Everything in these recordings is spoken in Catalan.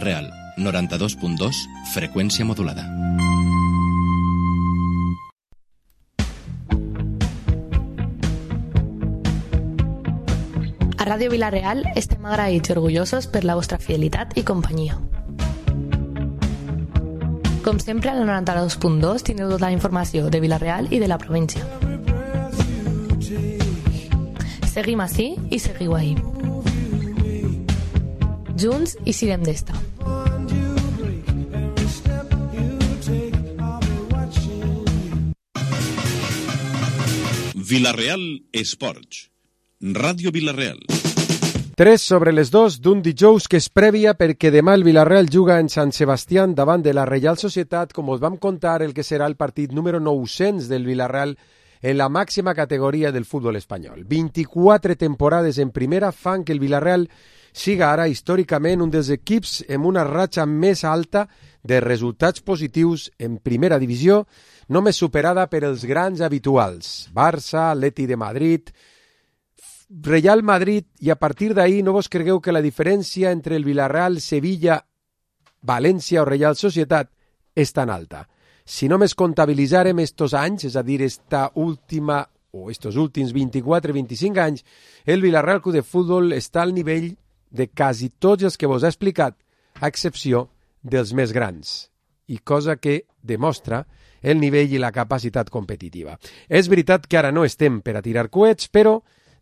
Real, 92.2, freqüència modulada. A Ràdio Vila-real estem agraïts i orgullosos per la vostra fidelitat i companyia. Com sempre, al 92.2 tindreu tota la informació de Vila-real i de la província. Seguim ací i seguiu ahí. Junts i siguem d'esta. Vila-real Esports. Ràdio Vila-real. 3:02 d'un dijous que és prèvia perquè demà el Vila-real juga en Sant Sebastián davant de la Reial Societat, com us vam contar el que serà el partit número 900 del Vila-real en la màxima categoria del futbol espanyol. 24 temporades en primera fan que el Vila-real siga ara històricament un dels equips amb una ratxa més alta de resultats positius en primera divisió, només superada per els grans habituals, Barça, Atleti de Madrid, Real Madrid, i a partir d'ahir no vos cregueu que la diferència entre el Vila-real, Sevilla, València o Real Societat és tan alta. Si només comptabilitzarem estos anys, és a dir, estos últims 24-25 anys, el Vila-real Club de Futbol està al nivell de quasi tots els que vos he explicat, a excepció dels més grans, i cosa que demostra el nivell i la capacitat competitiva. És veritat que ara no estem per a tirar coets, però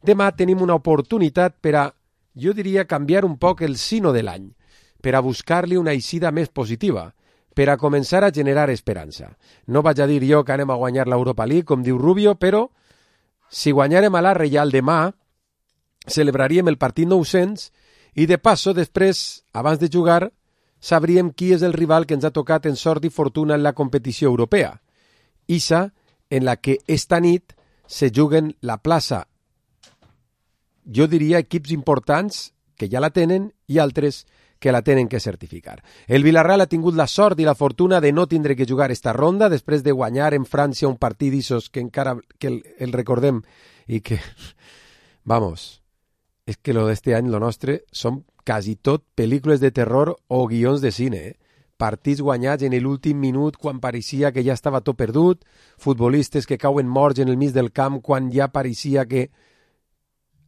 demà tenim una oportunitat per a, jo diria, canviar un poc el sino de l'any, per a buscar-li una eixida més positiva, per a començar a generar esperança. No vaig a dir jo que anem a guanyar l'Europa League, com diu Rubio, però si guanyarem a la Reial demà, celebraríem el partit 900 i de passo, després, abans de jugar, sabríem qui és el rival que ens ha tocat en sort i fortuna en la competició europea. Issa, en la que esta nit se juguen la plaça, jo diria equips importants que ja la tenen i altres que la tenen que certificar. El Vila-real ha tingut la sort i la fortuna de no tindre que jugar esta ronda després de guanyar en França un partit d'issos que encara que el recordem i que, vamos, és que lo d'este any, lo nostre, són quasi tot pel·lícules de terror o guions de cine, Partits guanyats en l'últim minut quan pareixia que ja estava tot perdut, futbolistes que cauen morts en el mig del camp quan ja pareixia que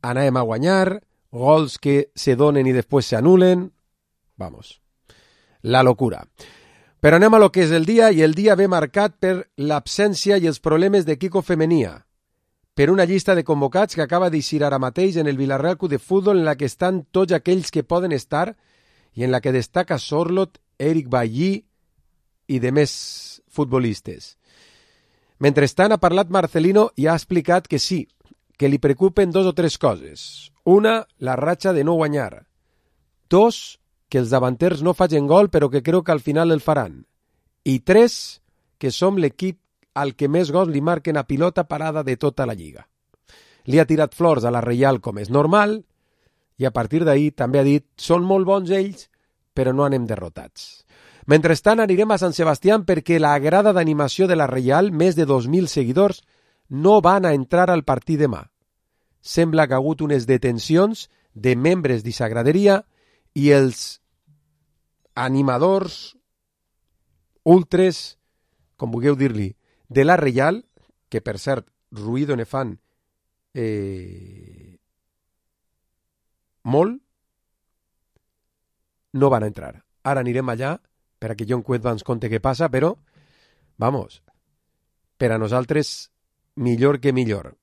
anàvem a guanyar, gols que se donen i després s'anulen. Vamos, la locura. Però anem a lo que és el dia, i el dia ve marcat per l'absència i els problemes de Kiko Femenia, per una llista de convocats que acaba d'eixir ara mateix en el Vila-real Club de Futbol, en la que estan tots aquells que poden estar i en la que destaca Sorlot, Eric Bailly i de més futbolistes. Mentrestant ha parlat Marcelino i ha explicat que sí, que li preocupen 2 o 3 coses. Una, la ratxa de no guanyar. 2, que els davanters no facin gol però que creu que al final el faran. I 3, que som l'equip al que més gols li marquen a pilota parada de tota la lliga. Li ha tirat flors a la Reial com és normal i a partir d'ahir també ha dit són molt bons ells però no anem derrotats. Mentrestant anirem a Sant Sebastián perquè la grada d'animació de la Reial, més de 2.000 seguidors, no van a entrar al partit demà. Sembla que ha hagut unes detencions de membres d'esa graderia i els animadors, ultres, com vulgueu dir-li, de la Reial, que per cert, ruïdo ne fan molt, no van a entrar. Ara anirem allà per a que John Cuet ens conte què passa, però, vamos, per a nosaltres millor que millor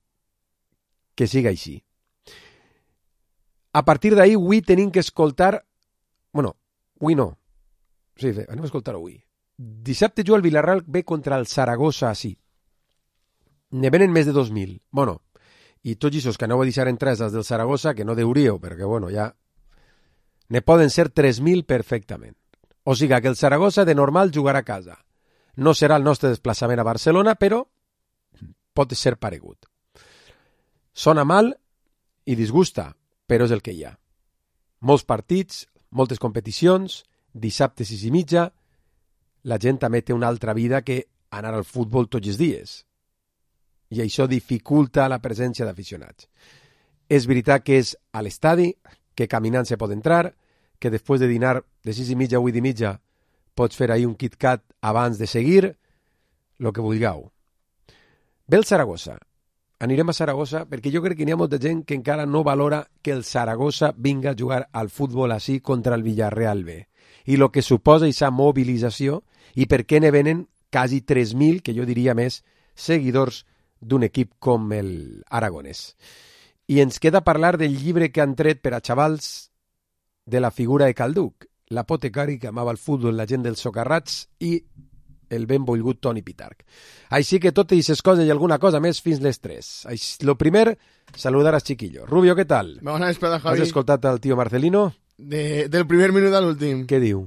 que siga així. A partir d'ahir, avui tenim que escoltar... Bueno, avui no. Sí, anem a escoltar avui. Dissabte juga el Vila-real ve contra el Saragossa així. Ne venen més de 2.000. Bueno, i tots aquests que aneu a deixar entrades dels del Saragossa, que no deuríeu, perquè, bueno, ja... Ne poden ser 3.000 perfectament. O sigui que el Saragossa de normal jugarà a casa. No serà el nostre desplaçament a Barcelona, però pot ser paregut. Sona mal i disgusta, però és el que hi ha. Molts partits, moltes competicions, dissabte 6:30, la gent també té una altra vida que anar al futbol tots els dies. I això dificulta la presència d'aficionats. És veritat que és a l'estadi, que caminant se pot entrar, que després de dinar de 6:30 a 8:30 pots fer ahir un KitKat abans de seguir, lo que vulgueu. Ve el Saragossa. Anirem a Saragossa perquè jo crec que n'hi ha molta gent que encara no valora que el Saragossa vinga a jugar al futbol així contra el Villarreal B. I el que suposa aquesta mobilització i per què ne venen quasi 3.000, que jo diria més, seguidors d'un equip com el Aragonès. I ens queda parlar del llibre que han tret per a xavals de la figura de Calduc, l'apotecari que amava el futbol, la gent dels socarrats i el ben volgut Toni Pitarch. Així que totes aquestes coses i alguna cosa més fins les 3. Lo primer, saludar als chiquillos. Rubio, què tal? Bona vesprada, Javi. Has escoltat el tio Marcelino? Del primer minut a l'últim. Què diu?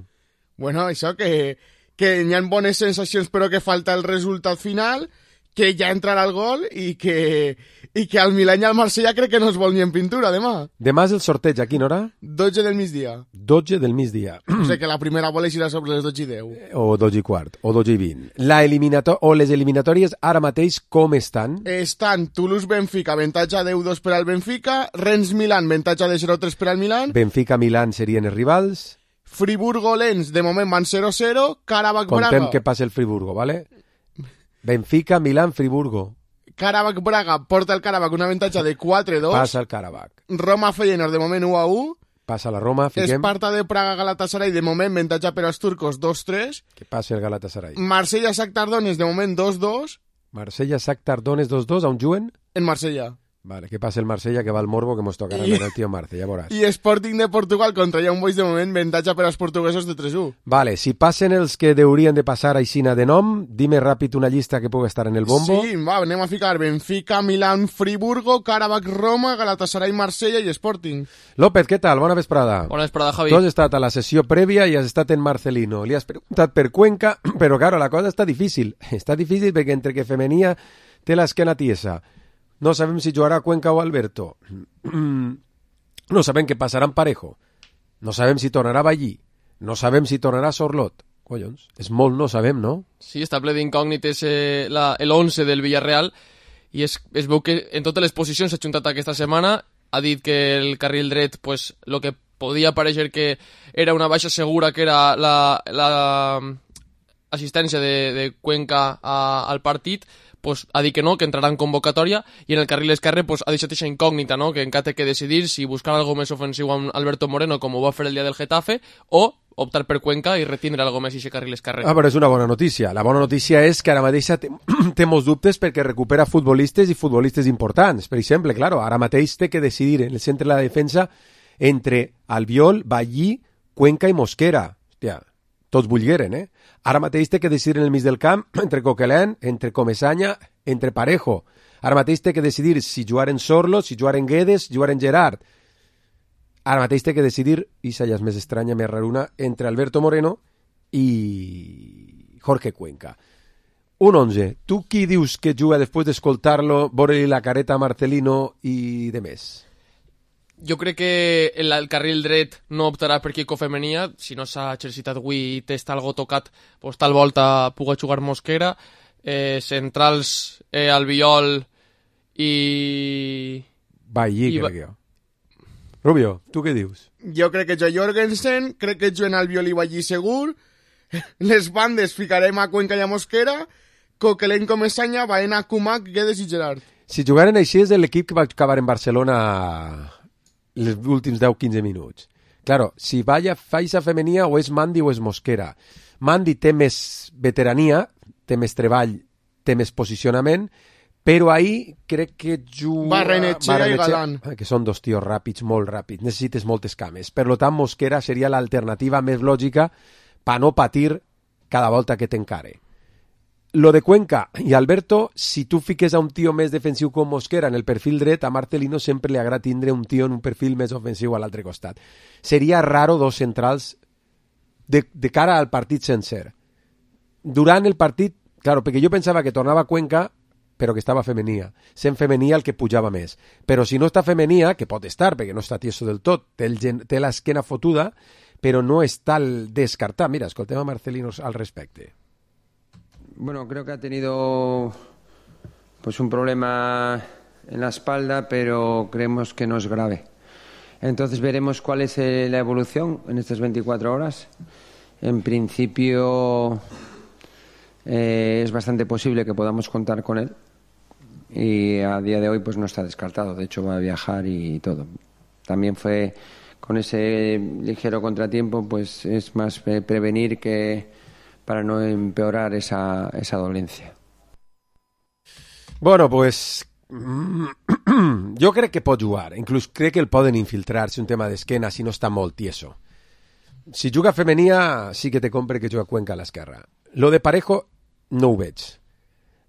Bueno, això, que hi ha bones sensacions però que falta el resultat final, que ja entrarà el gol i que al Milan i al Marsella crec que no es vol ni en pintura demà. Demà és el sorteig, a quina hora? 12 del migdia. 12 del migdia. O sigui que la primera bola irà sobre les 12:10. O 12:15, o 12:20. Les eliminatòries ara mateix com estan? Estan Toulouse-Benfica, avantatge 10-2 per al Benfica, Rennes-Milan, avantatge de 0-3 per al Milan. Benfica-Milan serien els rivals. Friburgo-Lens, de moment van 0-0, Karabakh-Braga. Contem que passa el Friburgo, ¿vale? Benfica, Milan, Friburgo. Karabakh-Braga porta el Karabakh un avantatge de 4-2. Passa el Karabakh. Roma-Feyenoord, de moment 1-1. Passa la Roma, fiquem. Esparta de Praga-Galatasaray, de moment avantatge per als turcos 2-3. Que passi el Galatasaray. Marsella-Shakhtar Donetsk, de moment 2-2. Marsella-Shakhtar Donetsk 2-2, on juguen? En Marsella. Vale, que passa el Marsella, que va al morbo, que mos tocarà amb el tio Marce, ja veuràs. I Sporting de Portugal contra Young Boys, de moment avantatge per als portuguesos de 3-1. Vale, si passen els que deurien de passar aixina de nom, dime ràpid una llista que pugui estar en el bombo. Sí, va, anem a ficar Benfica, Milan, Friburgo, Karabakh, Roma, Galatasaray, Marsella i Sporting. López, què tal? Bona vesprada. Bona vesprada, Javi. Tu has estat a la sessió prèvia i has estat en Marcelino. Li has preguntat per Cuenca, però claro, la cosa està difícil. Està difícil perquè entre que Femenia té l'esquena tiesa. No sabem si jugarà Cuenca o Alberto. No sabem què passarà amb Parejo. No sabem si tornarà Ballí. No sabem si tornarà Sorlot. Collons, és molt no sabem, no? Sí, està ple d'incògnites l'11 del Villarreal i es veu que en totes les posicions s'ha juntat aquesta setmana. Ha dit que el carril dret, pues, lo que podia parèixer que era una baixa segura, que era la assistència de Cuenca al partit, pues, ha dit que no, que entrarà en convocatòria, i en el carril esquerre pues, ha deixat aquesta incògnita, no? Que encara té que decidir si buscar algo més ofensiu amb Alberto Moreno, com ho va fer el dia del Getafe, o optar per Cuenca i retindre algo més i aquest carril esquerre. Però és una bona notícia. La bona notícia és que ara mateix té molts dubtes perquè recupera futbolistes i futbolistes importants. Per exemple, claro, ara mateix té que decidir en el centre de la defensa entre Albiol, Ballí, Cuenca i Mosquera. Hòstia, tots vulgueren, eh? Ara mateix té que decidir en el mig del camp entre Coquelin, entre Comesaña, entre Parejo. Ara mateix té que decidir si jugar en Sorlo, si jugar en Guedes, si jugar en Gerard. Ara mateix té que decidir, i ja és més estranya, més raruna, entre Alberto Moreno i Jorge Cuenca. Un 11. Tu qui dius que juga després d'escoltar-lo, veure-li la careta a Marcelino i de més? Jo crec que el carril dret no optarà per Kiko Femenia. Si no s'ha exercitat avui i té algo tocat, pues, tal volta pugui jugar Mosquera. Centrals, Albiol i... Ballí, crec jo. Rubio, tu què dius? Jo crec que jo Jorgensen, crec que juguen Albiol i Ballí segur. Les bandes ficarem a Cuenca i a Mosquera. Coquelin, Comesaña, Baena, Kumak, Guedes i Gerard. Si jugaren així és l'equip que va acabar en Barcelona els últims 10-15 minuts. Claro, si faixa femenia o és Mandi o és Mosquera. Mandi té més veterania, té més treball, té més posicionament, però ahir crec que juga... Barrenetxea i Galán. Que són dos tios ràpids, molt ràpids. Necessites moltes cames. Per tant, Mosquera seria l'alternativa més lògica per no patir cada volta que t'encare. Lo de Cuenca i Alberto, si tu fiques a un tio més defensiu com Mosquera en el perfil dret, a Marcelino sempre li agrada tindre un tio en un perfil més ofensiu a l'altre costat. Seria raro dos centrals de cara al partit sencer. Durant el partit, claro, perquè jo pensava que tornava Cuenca, però que estava femenia. Sent femenia el que pujava més. Però si no està femenia, que pot estar, perquè no està tieso del tot, té l'esquena fotuda, però no està al descartar. Mira, escoltem a Marcelino al respecte. Bueno, creo que ha tenido pues un problema en la espalda, pero creemos que no es grave. Entonces veremos cuál es la evolución en estas 24 horas. En principio es bastante posible que podamos contar con él y a día de hoy pues no está descartado. De hecho va a viajar y todo. También fue con ese ligero contratiempo, pues es más prevenir que para no empeorar esa dolencia. Bueno, pues jo crec que pot jugar, inclús crec que el poden infiltrar si un tema d'esquena, si no està molt tieso. Si juga Femenia, sí que te compre que juga Cuenca a l'esquerra. Lo de Parejo no ho veig.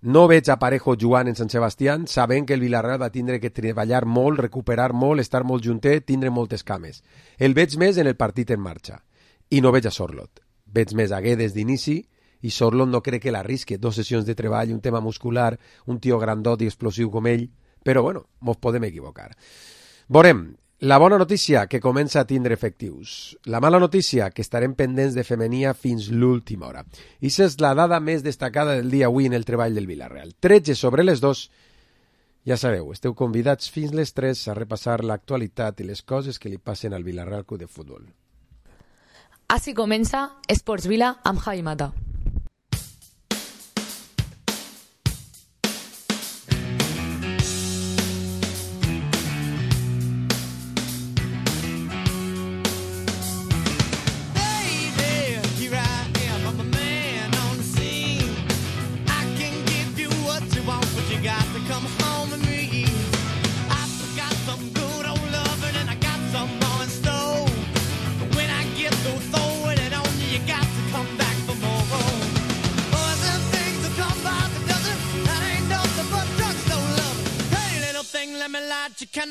No veig a Parejo jugant en Sant Sebastián, sabent que el Villarreal va tindre que treballar molt, recuperar molt, estar molt juntet, tindre moltes cames. El veig més en el partit en marxa. I no veig a Sorlot. Veig més a Guedes d'inici, i Sorlot no crec que l'arrisque. 2 sessions de treball, un tema muscular, un tio grandot i explosiu com ell, però bueno, mos podem equivocar. Veurem. La bona notícia, que comença a tindre efectius. La mala notícia, que estarem pendents de Femenia fins l'última hora. I aquesta és la dada més destacada del dia avui en el treball del Villarreal. 13 sobre les 2. Ja sabeu, esteu convidats fins les 3 a repassar l'actualitat i les coses que li passen al Villarreal Club de Futbol. Així comença Esports Vila amb Javi Mata.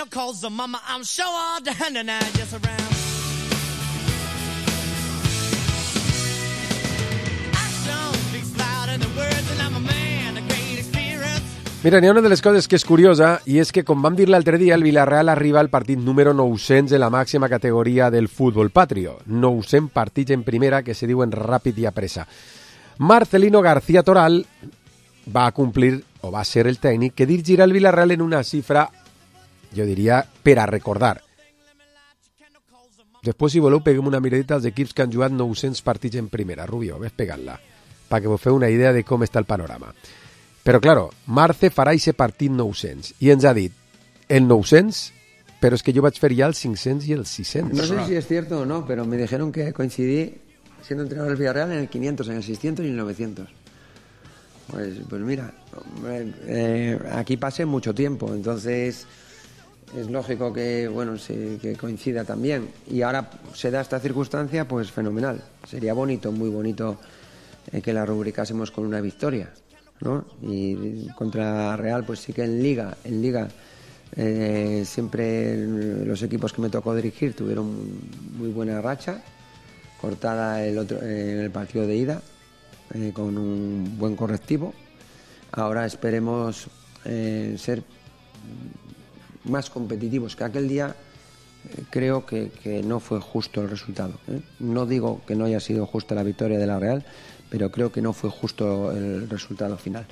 Calls the mama, I'm sure all the hand and I just around. Action speaks louder than words and I'm a man, a great experience. Mira, n'hi ha una de les coses que és curiosa i és que, com vam dir l'altre dia, el Villarreal arriba al partit número 900 en la màxima categoria del futbol patrio. 900 partits en primera que se diuen ràpid i a pressa. Marcelino García Toral va complir, o va ser el tècnic, que dirigirà el Villarreal en una xifra, jo diria, per a recordar. Després, si voleu, peguem una miradita als equips que han jugat 900 partits en primera. Rubio, ves pegant-la, perquè vos feu una idea de com està el panorama. Però, claro, Marce farà ese partit 900, i ens ha dit el 900, però és que jo vaig fer ja el 500 i el 600. No sé si es cierto o no, pero me dijeron que coincidí siendo entrenador del Villarreal en el 500, en el 600 y en el 900. Pues mira, aquí pasé mucho tiempo, entonces es lógico que bueno que coincida también, y ahora se da esta circunstancia, pues fenomenal. Sería bonito, muy bonito, que la rubricásemos con una victoria, ¿no? Y contra Real, pues sí que en Liga siempre los equipos que me tocó dirigir tuvieron muy buena racha, cortada en el partido de ida, con un buen correctivo. Ahora esperemos ser más competitivos que aquel día. Creo que no fue justo el resultado, ¿eh? No digo que no haya sido justa la victoria de la Real, pero creo que no fue justo el resultado final.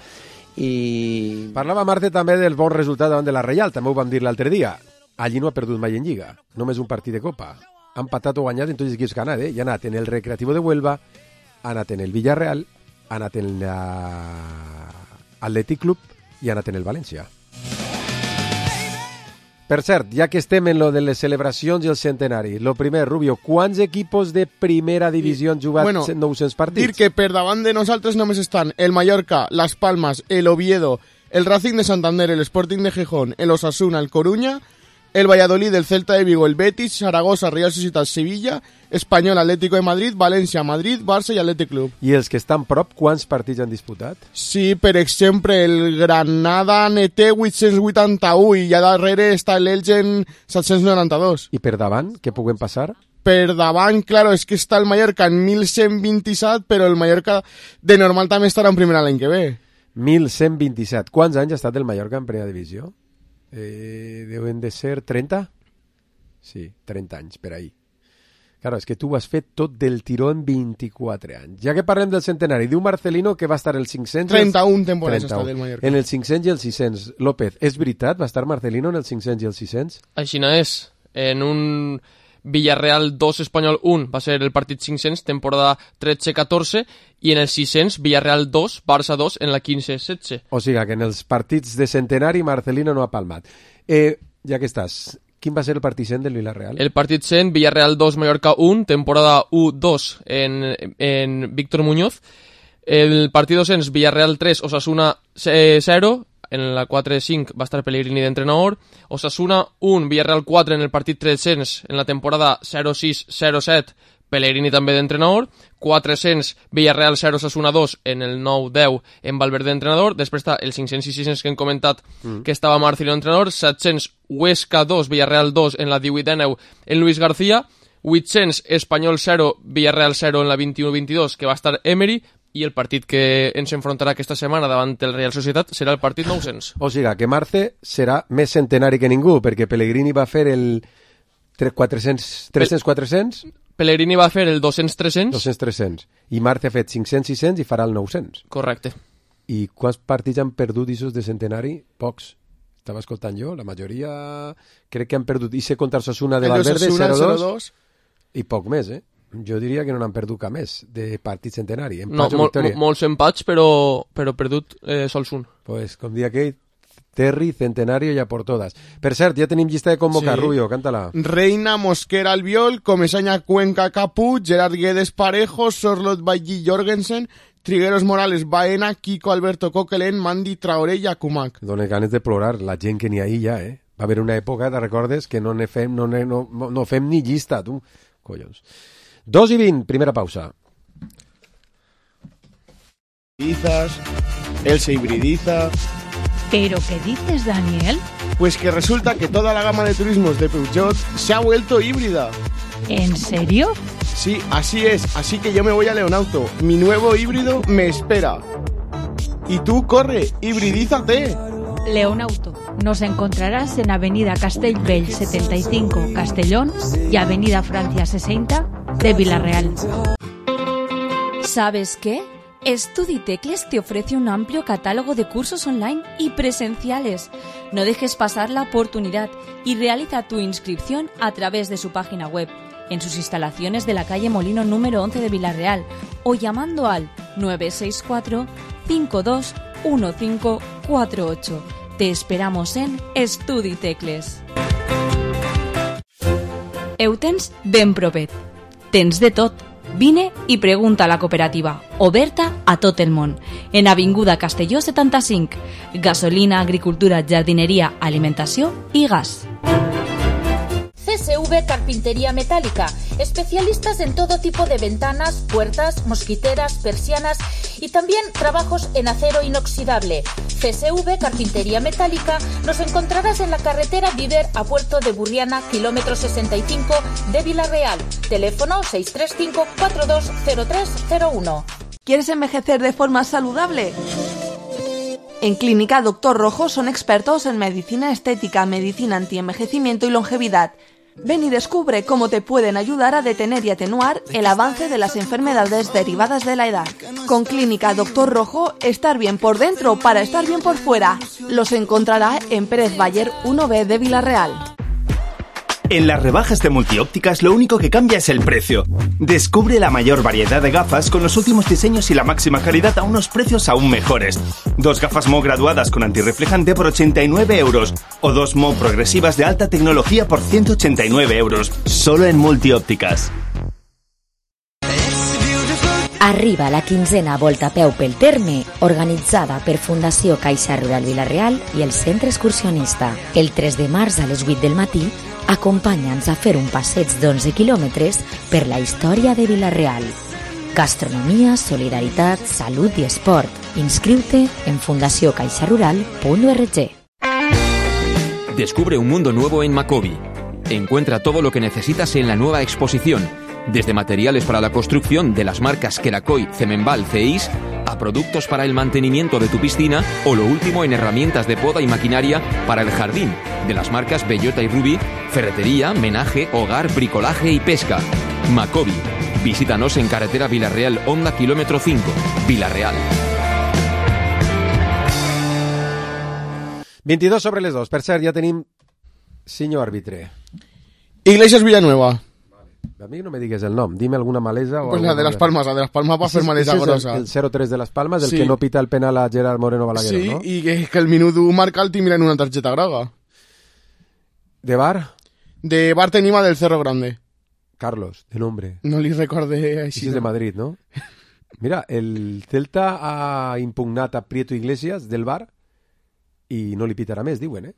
I... Parlava Marce també del bon resultat davant de la Reial, també ho vam dir l'altre dia. Allí no ha perdut mai en Lliga, només un partit de Copa. Ha empatat o guanyat en tots els equips que ha anat, i ha anat en el Recreativo de Huelva, ha anat en el Villarreal, ha anat en l'Atlètic Club i ha anat en el València. Per cert, ja que estem en lo de les celebracions i el centenari, lo primer, Rubio, quants equipos de primera divisió han jugat 900 partits? Dir que per davant de nosaltres només estan el Mallorca, Las Palmas, el Oviedo, el Racing de Santander, el Sporting de Gijón, el Osasuna, el Coruña, el Valladolid, el Celta de Vigo, el Betis, Zaragoza, Real Societat, Sevilla, Espanyol, Atlético de Madrid, València, Madrid, Barça i Atlètic Club. I els que estan prop, quants partits han disputat? Sí, per exemple, el Granada ne té 881 i ja darrere està l'Elgen 792. I per davant, què puguem passar? Per davant, claro, és que està el Mallorca en 1127, però el Mallorca de normal també estarà en primera l'any que ve. 1127. Quants anys ha estat el Mallorca en primera divisió? Deuen de ser 30? Sí, 30 anys, per ahí. Claro, és que tu has fet tot del tiró en 24 anys. Ja que parlem del centenari, diu Marcelino que va estar el 500... 31 temporades està del Mallorca. En el 500 i el 600. López, és veritat? Va estar Marcelino en el 500 i el 600? Així no és. en un Villarreal 2, Espanyol 1 va ser el partit 500, temporada 13-14, i en el 600, Villarreal 2, Barça 2, en la 15-16. O sigui que en els partits de centenari Marcelino no ha palmat. Ja que estàs, quin va ser el partit 100 del Villarreal? El partit 100, Villarreal 2, Mallorca 1, temporada 1-2 en Víctor Muñoz. El partit 200, Villarreal 3, Osasuna 0, en la 4-5 va estar Pellegrini d'entrenador. Osasuna 1, Villarreal 4 en el partit 300, en la temporada 0-6-0-7, Pellegrini també d'entrenador. 400, Villarreal 0, Osasuna 2 en el 9-10 en Valverde d'entrenador. Després està el 500 i 600 que hem comentat que estava Marcelo d'entrenador. 700, Huesca 2, Villarreal 2 en la 18-19 en Luis García. 800, Espanyol 0, Villarreal 0 en la 21-22 que va estar Emery. I el partit que ens enfrontarà aquesta setmana davant el Real Societat serà el partit 900. O sigui que Marce serà més centenari que ningú, perquè Pellegrini va fer el 300-400... Pellegrini va fer el 200-300. 200-300. I Marce ha fet 500-600 i farà el 900. Correcte. I quants partits han perdut isos de centenari? Pocs. Estava escoltant jo, la majoria crec que han perdut. I sé contra Osasuna de Valverde, 0-2. I poc més, eh? Jo diria que no n'han perdut cap més de partit centenari. No, molts empats, però perdut sols un. Pues, com dia aquell, Terry, centenario ja por todas. Per cert, ja tenim llista de convocar, sí. Rubio, cántala. Reina, Mosquera, Albiol, Comesaña, Cuenca, Caput, Gerard Guedes, Parejo, Sorlot, Bailly, Jorgensen, Trigueros, Morales, Baena, Kiko, Alberto, Coquelin, Mandy, Traoré i Akumak. Dóna ganes de plorar la gent que n'hi ha ahí ja, eh? Va haver una època, te recordes, que no fem ni llista, tu. Collons. 2:20, primera pausa. Él se hibridiza. ¿Pero qué dices, Daniel? Pues que resulta que toda la gama de turismos de Peugeot se ha vuelto híbrida. ¿En serio? Sí, así es. Así que yo me voy a Leonauto. Mi nuevo híbrido me espera. Y tú, corre, hibridízate. Leonauto. Nos encontrarás en Avenida Castellbell 75, Castellón, y Avenida Francia 60 de Villarreal. ¿Sabes qué? Estuditecles te ofrece un amplio catálogo de cursos online y presenciales. No dejes pasar la oportunidad y realiza tu inscripción a través de su página web, en sus instalaciones de la calle Molino número 11 de Villarreal o llamando al 964 52 1548. Te esperamos en Estuditecles. Eutens ben propet. Tens de tot. Vine i pregunta a la cooperativa, oberta a tot el món. En Avinguda Castelló 75. Gasolina, agricultura, jardineria, alimentació i gas. CSV Carpintería Metálica, especialistas en todo tipo de ventanas, puertas, mosquiteras, persianas y también trabajos en acero inoxidable. CSV Carpintería Metálica nos encontrarás en la carretera Viver a Puerto de Burriana, kilómetro 65 de Villarreal. Teléfono 635-420301. ¿Quieres envejecer de forma saludable? En Clínica Doctor Rojo son expertos en medicina estética, medicina antienvejecimiento y longevidad. Ven y descubre cómo te pueden ayudar a detener y atenuar el avance de las enfermedades derivadas de la edad. Con Clínica Doctor Rojo, estar bien por dentro para estar bien por fuera. Los encontrará en Pérez Bayer 1B de Villarreal. En las rebajas de Multiópticas lo único que cambia es el precio. Descubre la mayor variedad de gafas con los últimos diseños y la máxima calidad a unos precios aún mejores. 2 gafas Mo graduadas con antirreflejante por 89 euros o 2 Mo progresivas de alta tecnología por 189 euros. Solo en Multiópticas. Arriba la 15a Volta a peu pel Terme, organitzada per Fundació Caixa Rural Villarreal i el Centre Excursionista. El 3 de març a les 8 del matí, acompanya'ns a fer un passeig d'11 quilòmetres per la història de Villarreal. Gastronomia, solidaritat, salut i esport. Inscriu-te en fundaciocaixarural.org. Descubre un mundo nuevo en Macobi. Encuentra todo lo que necesitas en la nueva exposición, desde materiales para la construcción de las marcas Queracoy, Cemenbal, CEIS, a productos para el mantenimiento de tu piscina o lo último en herramientas de poda y maquinaria para el jardín, de las marcas Bellota y Ruby, ferretería, menaje, hogar, bricolaje y pesca. Macobi. Visítanos en carretera Villarreal, Honda, kilómetro 5, Villarreal. 22 sobre les 2. Per cert, ja tenim senyor àrbitre. Iglesias Villanueva. A mi no me digues el nom, dime alguna malesa. Pues la de Las Palmas, va a fer malesa grossa. El 0-3 de Las Palmas, el que no pita el penal a Gerard Moreno Balaguer, sí, no? Sí, i que el minut 1 marca el tindran una targeta groga. ¿De bar? De bar tenim a del Cerro Grande. Carlos, de nombre. No li recorde així. És de Madrid, no? Mira, el Celta ha impugnat a Prieto Iglesias del bar i no li pitarà més, diuen,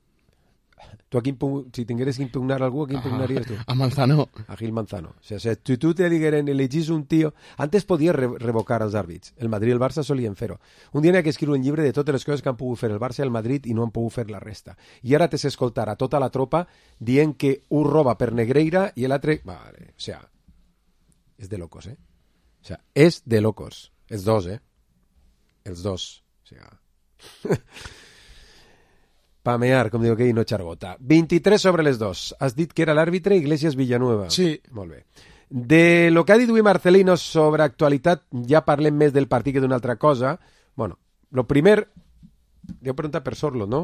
Tu aquí, si tingueres que impugnar algú, a qui impugnaries tu? A Manzano. A Gil Manzano. O sea, si tu te digueren, elegís un tío... Antes podies revocar els àrbits. El Madrid i el Barça solien fer-ho. Un dia n'hi ha que escriure un llibre de totes les coses que han pogut fer el Barça i el Madrid i no han pogut fer la resta. I ara t'has escoltar a tota la tropa dient que un roba per Negreira i l'altre... Vale, o sea, és de locos, O sea, és de locos. Els dos, Els dos. O sea... Pamear, com diu aquell, no xargota. 23 sobre les 2. Has dit que era l'àrbitre Iglesias Villanueva. Sí. Molt bé. De lo que ha dit avui Marcelino sobre actualitat, ja parlem més del partit que d'una altra cosa. Bueno, lo primer... Deu preguntar per Sorlot, no?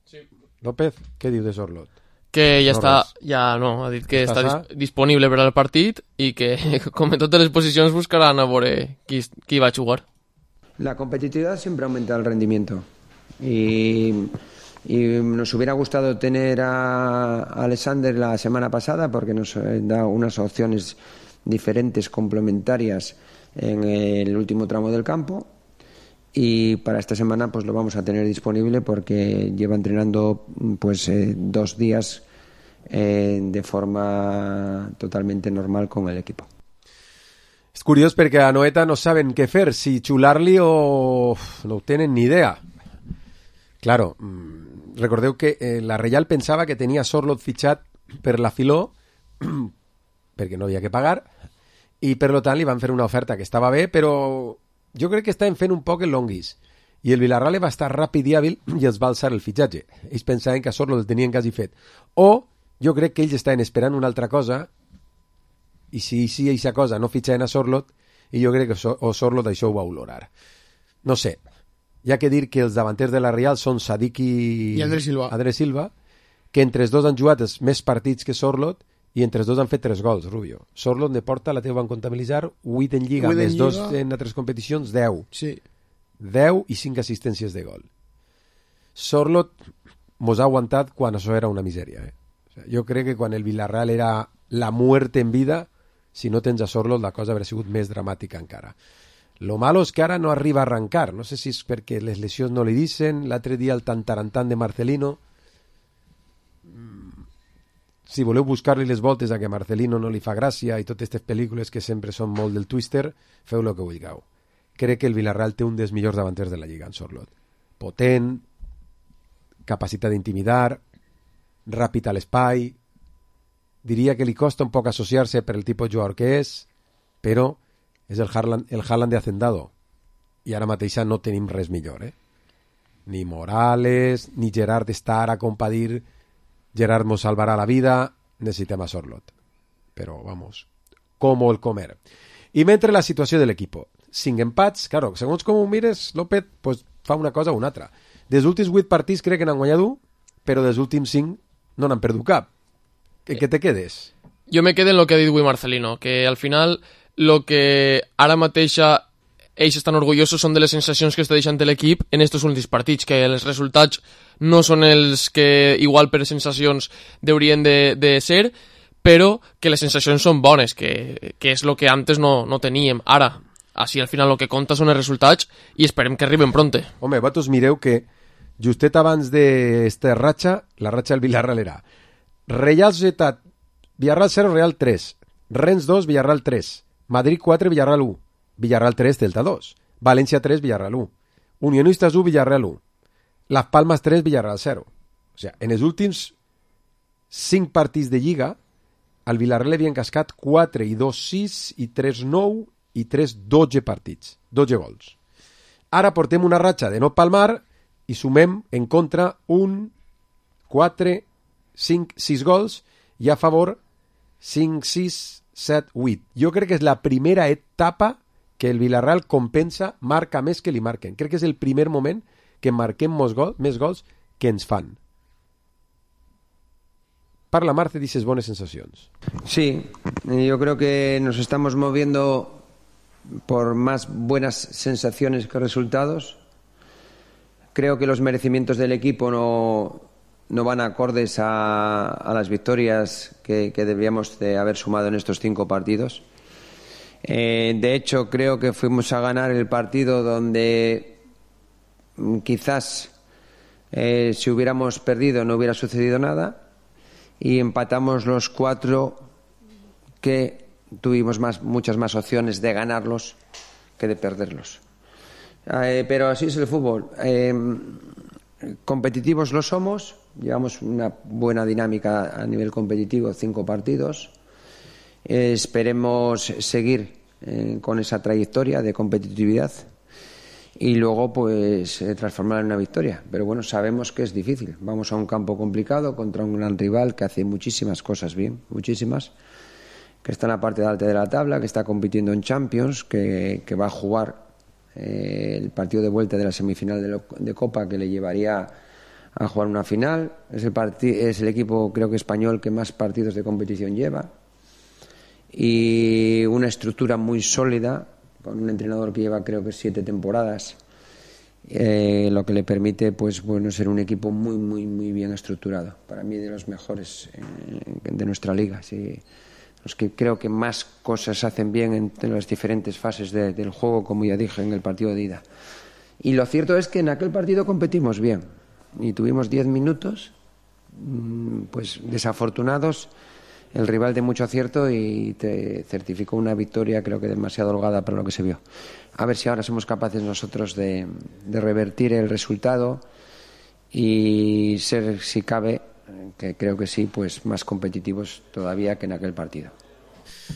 Sí. López, què diu de Sorlot? Que ja no està... Res. Ja, no, ha dit que està disponible per al partit i que, com en totes les posicions, buscaran a veure qui va a jugar. La competitividad siempre aumenta el rendimiento. Y nos hubiera gustado tener a Alexander la semana pasada porque nos da unas opciones diferentes, complementarias en el último tramo del campo, y para esta semana pues lo vamos a tener disponible porque lleva entrenando pues 2 días de forma totalmente normal con el equipo. És curiós perquè a Noeta no saben què fer, si xular-li o no ho tenen ni idea. Claro, recordeu que la Reial pensava que tenia Sorlot fitxat per la Filó perquè no havia que pagar i per tant li van fer una oferta que estava bé, però jo crec que estaven fent un poc el longuis i el Villarreal va estar ràpid i hàbil i els va alçar el fitxatge. Ells pensaven que a Sorlot el tenien quasi fet. O jo crec que ells estaven esperant una altra cosa i si aquesta cosa no fitxaven a Sorlot, i jo crec que Sorlot això ho va olorar. No sé. Hi ha que dir que els davanters de la Real són Sadik i Andrés Silva, que entre els dos han jugat els més partits que Sorlot i entre els dos han fet 3 gols, Rubio. Sorlot de porta la teva van comptabilitzar 8 en Lliga, més 2 en altres competicions, 10. Sí. 10 i 5 assistències de gol. Sorlot mos ha aguantat quan això era una misèria. O sea, jo crec que quan el Villarreal era la muerte en vida, si no tens a Sorlot la cosa hauria sigut més dramàtica encara. Lo malo és que ara no arriba a arrancar. No sé si és perquè les lesions no li dicen. L'altre dia el tantarantan de Marcelino. Si voleu buscar-li les voltes a que Marcelino no li fa gràcia i totes aquestes pel·lícules que sempre són molt del Twister, feu el que vulgueu. Crec que el Villarreal té un dels millors davanters de la Lliga en Sorlot. Potent, capacitat d'intimidar, ràpid a l'espai. Diria que li costa un poc associar-se per el tipus de jugador que és, però és el Haaland de Hacendado i ara mateix no tenim res millor, ni Morales ni Gerard està ara com per dir Gerard mos salvarà la vida, necessitem a Sorlot, però vamos, com el comer. I mentre la situació de l'equipo, 5 empats, claro, segons com ho mires López pues, fa una cosa o una altra. Dels últims 8 partits crec que n'han guanyat 1, però dels últims 5 no n'han perdut cap. ¿En qué te quedes? Jo me quedo en lo que ha dit avui Marcelino, que al final lo que ara mateixa ells estan orgullosos són de les sensacions que està deixant l'equip en estos últims partits, que els resultats no són els que igual per sensacions haurien de ser, però que les sensacions són bones, que és el que antes no teníem. Ara, així al final el que compta són els resultats i esperem que arriben pronte. Home, vosaltres mireu que justet abans d'esta ratxa, la ratxa del Villarreal era Real Societat, Villarreal 0, Real 3, Rennes 2, Villarreal 3, Madrid 4, Villarreal 1, Villarreal 3, Celta 2, València 3, Villarreal 1, Unionistes 1, Villarreal 1, Las Palmas 3, Villarreal 0. O sigui, en els últims 5 partits de Lliga, al Villarreal havien cascat 4 i 2, 6 i 3, 9 i 3, 12 partits, 12 gols. Ara portem una ratxa de no palmar i sumem en contra 1, 4, 5, 6 gols i a favor 5, 6, 7, 8. Jo crec que és la primera etapa que el Villarreal compensa, marca més que li marquen. Crec que és el primer moment que marquem més gols que ens fan. Parla Marce d'aquestes bones sensacions. Sí, yo creo que nos estamos moviendo por más buenas sensaciones que resultados. Creo que los merecimientos del equipo no van acordes a las victorias que debíamos de haber sumado en estos 5 partidos. De hecho, creo que fuimos a ganar el partido donde quizás si hubiéramos perdido no hubiera sucedido nada, y empatamos los 4 que tuvimos muchas más opciones de ganarlos que de perderlos. Pero así es el fútbol. Competitivos lo somos, llevamos una buena dinámica a nivel competitivo, 5 partidos. Esperemos seguir con esa trayectoria de competitividad y luego pues transformarla en una victoria. Pero bueno, sabemos que es difícil. Vamos a un campo complicado contra un gran rival que hace muchísimas cosas bien, muchísimas, que está en la parte de alta de la tabla, que está compitiendo en Champions, que va a jugar el partido de vuelta de la semifinal de Copa, que le llevaría a jugar una final. Es el equipo, creo que español, que más partidos de competición lleva, y una estructura muy sólida, con un entrenador que lleva creo que 7 temporadas, lo que le permite pues bueno ser un equipo muy bien estructurado. Para mí de los mejores de nuestra liga, sí. Los que creo que más cosas hacen bien en las diferentes fases del juego, como ya dije en el partido de ida. Y lo cierto es que en aquel partido competimos bien y tuvimos 10 minutos pues desafortunados, el rival de mucho acierto, y te certificó una victoria creo que demasiado holgada para lo que se vio. A ver si ahora somos capaces nosotros de revertir el resultado y ser, si cabe, que creo que sí, pues más competitivos todavía que en aquell partido.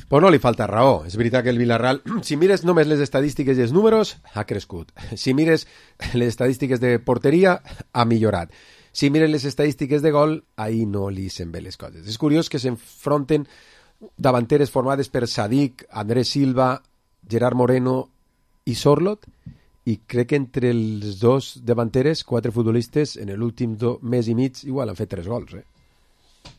Pues no li falta raó. És veritat que el Villarreal, si mires només les estadístiques i els números, ha crescut. Si mires les estadístiques de porteria, ha millorat. Si mires les estadístiques de gol, ahí no li se'n bé les coses. És curiós que s'enfronten davanteres formades per Sadik, Andrés Silva, Gerard Moreno i Sorloth, i crec que entre els dos davanteres, 4 futbolistes, en l'últim mes i mig, igual han fet 3 gols,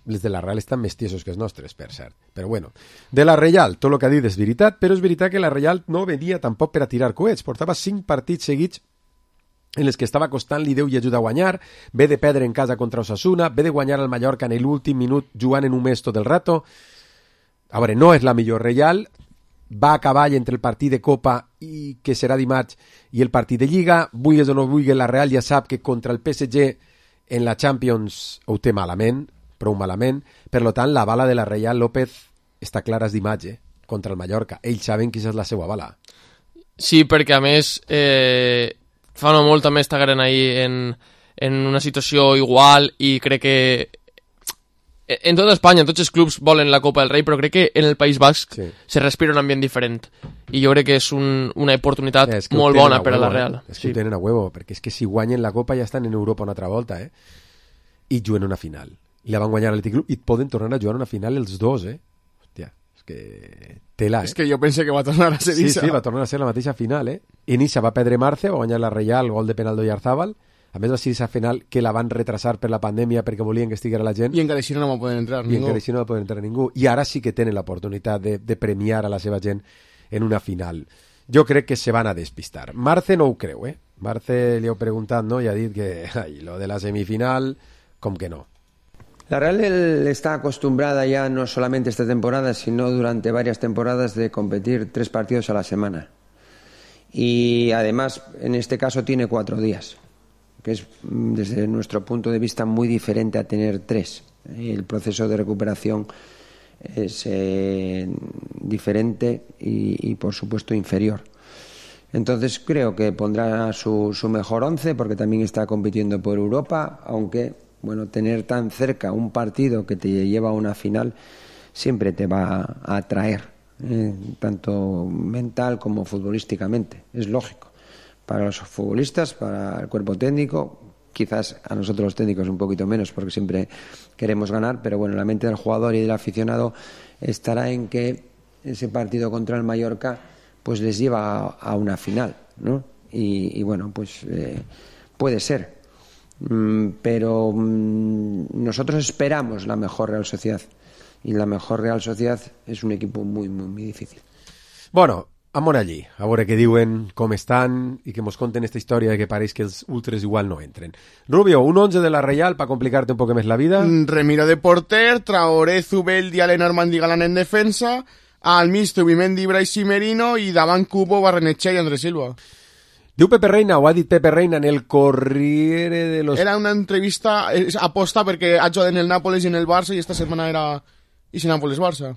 Les de la Real estan més tiesos que els nostres, per cert. Però bueno, de la Reial, tot el que ha dit és veritat, però és veritat que la Reial no venia tampoc per a tirar coets. Portava 5 partits seguits en les que estava costant-li Déu i ajuda a guanyar, ve de perdre en casa contra Osasuna, ve de guanyar al Mallorca en l'últim minut jugant en un mes tot el rato. A veure, no és la millor Reial, va a cavall entre el partit de Copa i que serà dimarts i el partit de Lliga. Vulguis o no vulguis, la Real ja sap que contra el PSG en la Champions ho té malament, prou malament. Per tant, la bala de la Reial López està clara d'imatge contra el Mallorca. Ells saben quina és la seva bala. Sí, perquè a més fa no molt també estigueren ahir en una situació igual, i crec que en tota Espanya, tots els clubs volen la Copa del Rei, però crec que en el País Basc se respira un ambient diferent, i jo crec que és una oportunitat molt bona per a la Real. És que ho tenen a huevo, perquè és que si guanyen la Copa ja estan en Europa una altra volta, i juguen una final. I la van guanyar l'Atlètic Club i poden tornar a jugar una final els dos, Hòstia, és que tela, És que jo pensé que va tornar a ser Issa. Sí, va tornar a ser la mateixa final, En Issa va perdre Marce, va guanyar la Reial, gol de penal d'Oyarzabal. A més, va ser aquesta final que la van retrasar per la pandèmia perquè volien que estiguera la gent. I encara així no va poder entrar ningú. I encara així no va poder entrar ningú. I ara sí que tenen l'oportunitat de premiar a la seva gent en una final. Jo crec que se van a despistar. Marce no ho creu, Marce li heu preguntat, no? I ha dit que lo de la semifinal, com que no. La Real está acostumbrada ya no solamente esta temporada, sino durante varias temporadas de competir 3 partidos a la semana. Y además, en este caso, tiene 4 días, que es, desde nuestro punto de vista, muy diferente a tener 3. El proceso de recuperación es diferente y, por supuesto, inferior. Entonces, creo que pondrá su mejor 11, porque también está compitiendo por Europa, aunque... Bueno, tener tan cerca un partido que te lleva a una final siempre te va a atraer, tanto mental como futbolísticamente. Es lógico. Para los futbolistas, para el cuerpo técnico, quizás a nosotros los técnicos un poquito menos porque siempre queremos ganar, pero bueno, la mente del jugador y del aficionado estará en que ese partido contra el Mallorca pues les lleva a una final, ¿no? Y bueno, pues puede ser. pero nosotros esperamos la mejor Real Sociedad, y la mejor Real Sociedad és un equip muy, muy, muy difícil. Bueno, amor allí, a veure què diuen, com estan, i que mos conten esta història de que pareix que els ultres igual no entren. Rubio, un 11 de la Reial para complicarte un poco més la vida. Remiro de porter, Traoré, Zubeldi, Allen, Armandi, Galán en defensa, al mixto, Bimendi, Brais i Merino, i davant Cubo, Barrenetxea i Andrés Silva. Diu Pepe Reina, o ha dit Pepe Reina en el Corriere de los... Era una entrevista aposta perquè ha jugat en el Nápoles i en el Barça y esta semana era... y si Nápoles-Barça.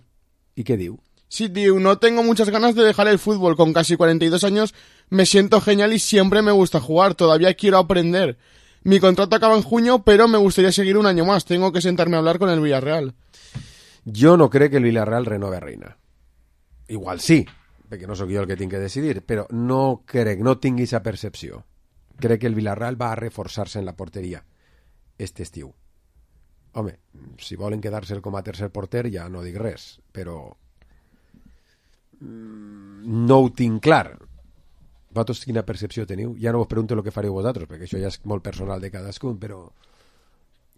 ¿Y qué diu? Sí, diu, no tengo muchas ganas de dejar el fútbol. Con casi 42 años me siento genial y siempre me gusta jugar. Todavía quiero aprender. Mi contrato acaba en junio, pero me gustaría seguir un año más. Tengo que sentarme a hablar con el Villarreal. Jo no crec que el Villarreal renove a Reina. Igual sí, perquè no sóc jo el que tinc que decidir, però no crec, no tinc aquesta percepció. Crec que el Villarreal va a reforçar-se en la porteria este estiu. Home, si volen quedar-se com a tercer porter ja no dic res, però no ho tinc clar. Vosaltres quina percepció teniu? Ja no vos pregunto el que fareu vosaltres, perquè això ja és molt personal de cadascun, però...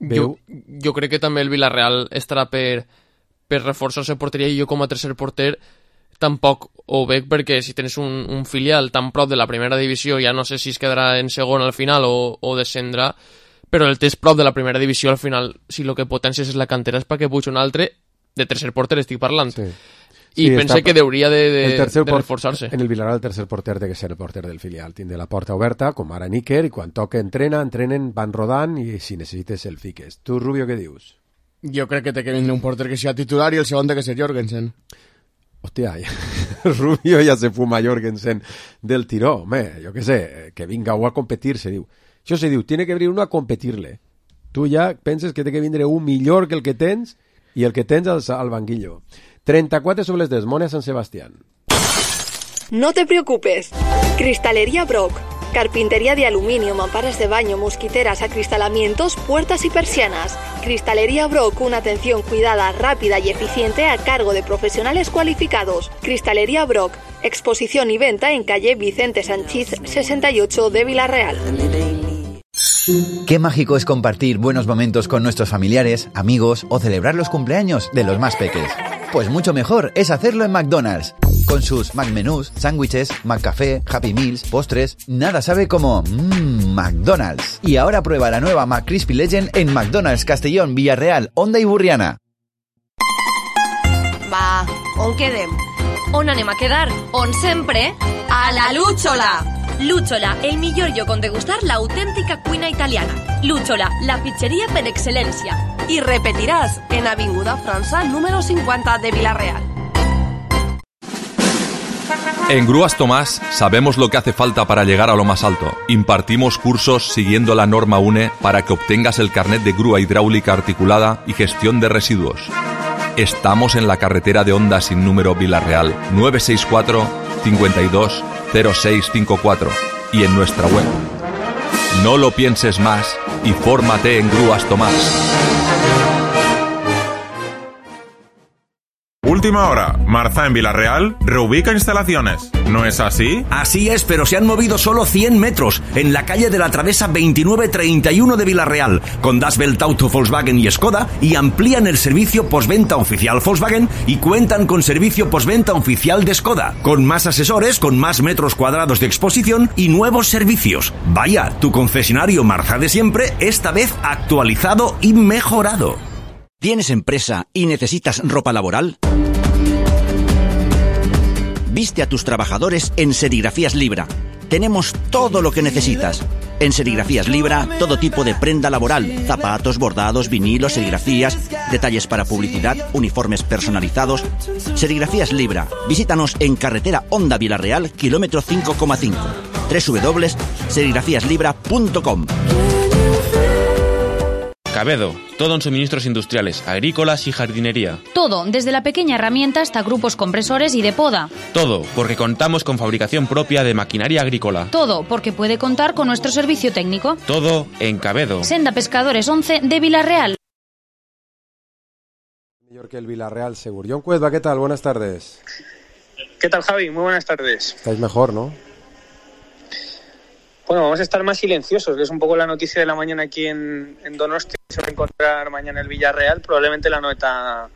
Jo crec que també el Villarreal estarà per reforçar-se porteria, i jo com a tercer porter tampoc ho veig, perquè si tens un filial tan prop de la primera divisió, ja no sé si es quedarà en segon al final o descendrà, però el tens prop de la primera divisió al final, si el que potencies és la cantera és perquè puig un altre, de tercer porter estic parlant. Sí. I pense que hauria de reforçar-se. En el Villarreal el tercer porter té que ser el porter del filial, tindre la porta oberta, com ara Níker, i quan toca entrenen, van rodant, i si necessites el fiques. Tu, Rubio, què dius? Jo crec que té que vindre un porter que sigui titular i el segon té que ser Jorgensen. Hòstia, Rubio ja se fuma Jorgensen del tiró, home, jo què sé, que vinga a competir, se diu. Això se diu, tiene que venir uno a competirle. Tu ja penses que té que vindre un millor que el que tens i el que tens al banquillo. 34 sobre les 10, Mona San Sebastián. No te preocupes. Cristalería Brock. Carpintería de aluminio, mamparas de baño, mosquiteras, acristalamientos, puertas y persianas. Cristalería Brock, una atención cuidada, rápida y eficiente a cargo de profesionales cualificados. Cristalería Brock, exposición y venta en calle Vicente Sanchís 68 de Villarreal. Qué mágico es compartir buenos momentos con nuestros familiares, amigos o celebrar los cumpleaños de los más peques. Pues mucho mejor es hacerlo en McDonald's. Con sus McMenús, sándwiches, McCafé, Happy Meals, postres, nada sabe como McDonald's. Y ahora prueba la nueva McCrispy Legend en McDonald's Castellón, Villarreal, Onda i Burriana. Va, on quedem? On anem a quedar? On sempre? A la Lúchola! Lúchola, el millor lloc on degustar l'autèntica cuina italiana. Lúchola, la pizzeria per excel·lència. I repetiràs en Avinguda França, número 50 de Villarreal. En Grúas Tomás sabemos lo que hace falta para llegar a lo más alto. Impartimos cursos siguiendo la norma UNE para que obtengas el carnet de grúa hidráulica articulada y gestión de residuos. Estamos en la carretera de Onda sin número Villarreal, 964 52 0654 y en nuestra web. No lo pienses más y fórmate en Grúas Tomás. Última hora, Marza en Villarreal reubica instalaciones. ¿No es así? Así es, pero se han movido solo 100 metros en la calle de la Travesa 2931 de Villarreal, con Das Welt Auto Volkswagen y Skoda, y amplían el servicio postventa oficial Volkswagen y cuentan con servicio postventa oficial de Skoda, con más asesores, con más metros cuadrados de exposición y nuevos servicios. Vaya, tu concesionario Marza de siempre, esta vez actualizado y mejorado. ¿Tienes empresa y necesitas ropa laboral? Viste a tus trabajadores en Serigrafías Libra. Tenemos todo lo que necesitas. En Serigrafías Libra, todo tipo de prenda laboral, zapatos, bordados, vinilos, serigrafías, detalles para publicidad, uniformes personalizados. Serigrafías Libra. Visítanos en carretera Onda Villarreal, kilómetro 5,5. www.serigrafíaslibra.com. Cabedo, todo en suministros industriales, agrícolas y jardinería. Todo, desde la pequeña herramienta hasta grupos compresores y de poda. Todo, porque contamos con fabricación propia de maquinaria agrícola. Todo, porque puede contar con nuestro servicio técnico. Todo en Cabedo. Senda Pescadores 11 de Villarreal. Mejor que el Villarreal, seguro. John Cuedva, ¿qué tal? Buenas tardes. ¿Qué tal, Javi? Muy buenas tardes. Estáis mejor, ¿no? Bueno, vamos a estar más silenciosos, que es un poco la noticia de la mañana aquí en Donosti. Se va a encontrar mañana el Villarreal, probablemente la nota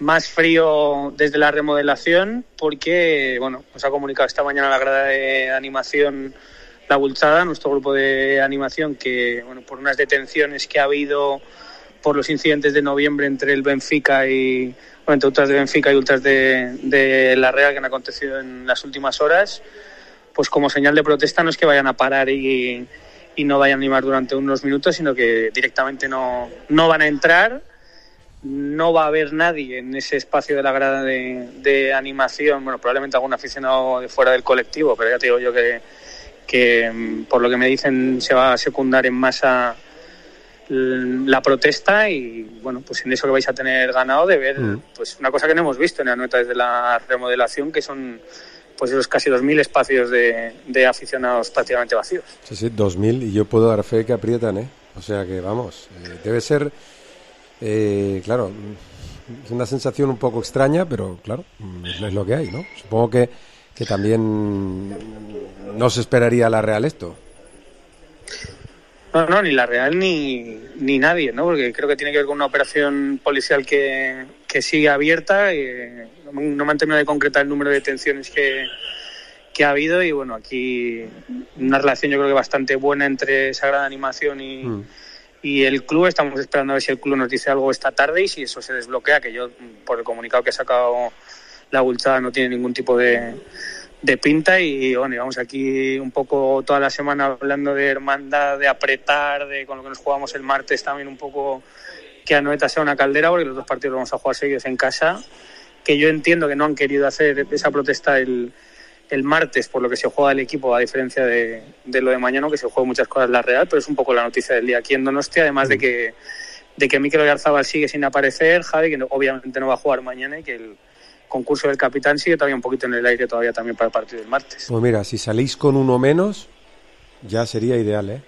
más frío desde la remodelación, porque bueno, nos ha comunicado esta mañana la grada de animación La Bulchada, nuestro grupo de animación, que bueno, por unas detenciones que ha habido por los incidentes de noviembre entre el Benfica y entre ultras de Benfica y ultras de la Real que han acontecido en las últimas horas, pues como señal de protesta no es que vayan a parar y no vayan a animar durante unos minutos, sino que directamente no van a entrar. No va a haber nadie en ese espacio de la grada de animación, bueno, probablemente algún aficionado de fuera del colectivo, pero ya te digo yo que por lo que me dicen se va a secundar en masa la protesta y bueno, pues en eso que vais a tener ganado de ver pues una cosa que no hemos visto en Anoeta desde la remodelación, que son pues esos casi 2.000 espacios de aficionados prácticamente vacíos. Sí, 2.000, y yo puedo dar fe que aprietan, o sea que vamos, debe ser claro, es una sensación un poco extraña, pero claro, es lo que hay, ¿no? Supongo que también no se esperaría la Real esto. No, ni la Real ni nadie, ¿no? Porque creo que tiene que ver con una operación policial que sigue abierta. No me han terminado de concretar el número de detenciones que ha habido y bueno, aquí una relación yo creo que bastante buena entre Sagrada Animación y el club. Estamos esperando a ver si el club nos dice algo esta tarde y si eso se desbloquea, que yo por el comunicado que ha sacado La Bulchada no tiene ningún tipo de pinta y bueno, llevamos aquí un poco toda la semana hablando de hermandad, de apretar, de con lo que nos jugamos el martes también un poco que Anoeta sea una caldera, porque los dos partidos los vamos a jugar seguidos en casa, que yo entiendo que no han querido hacer esa protesta el martes por lo que se juega el equipo, a diferencia de lo de mañana, que se juega muchas cosas la Real, pero es un poco la noticia del día aquí en Donostia, además de que Mikel Oyarzabal sigue sin aparecer, Javi, que obviamente no va a jugar mañana y que el concurso del capitán sigue todavía un poquito en el aire todavía también para el partido del martes. Pues mira, si salís con uno menos ya sería ideal,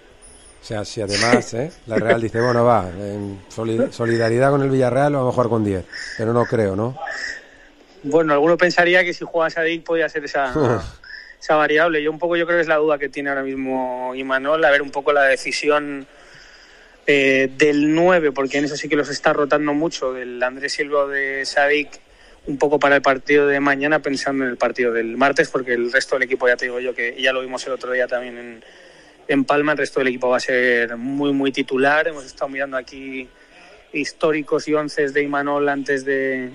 O sea, si además la Real dice, bueno, va, en solidaridad con el Villarreal vamos a jugar con 10, pero no creo, ¿no? Bueno, alguno pensaría que si juega Sadik podía ser esa variable. Yo creo que es la duda que tiene ahora mismo Imanol, a ver un poco la decisión del 9, porque en eso sí que los está rotando mucho, del Andrés Silva o de Sadik, un poco para el partido de mañana, pensando en el partido del martes, porque el resto del equipo, ya te digo yo, que ya lo vimos el otro día también en Palma, el resto del equipo va a ser muy, muy titular. Hemos estado mirando aquí históricos y onces de Imanol antes de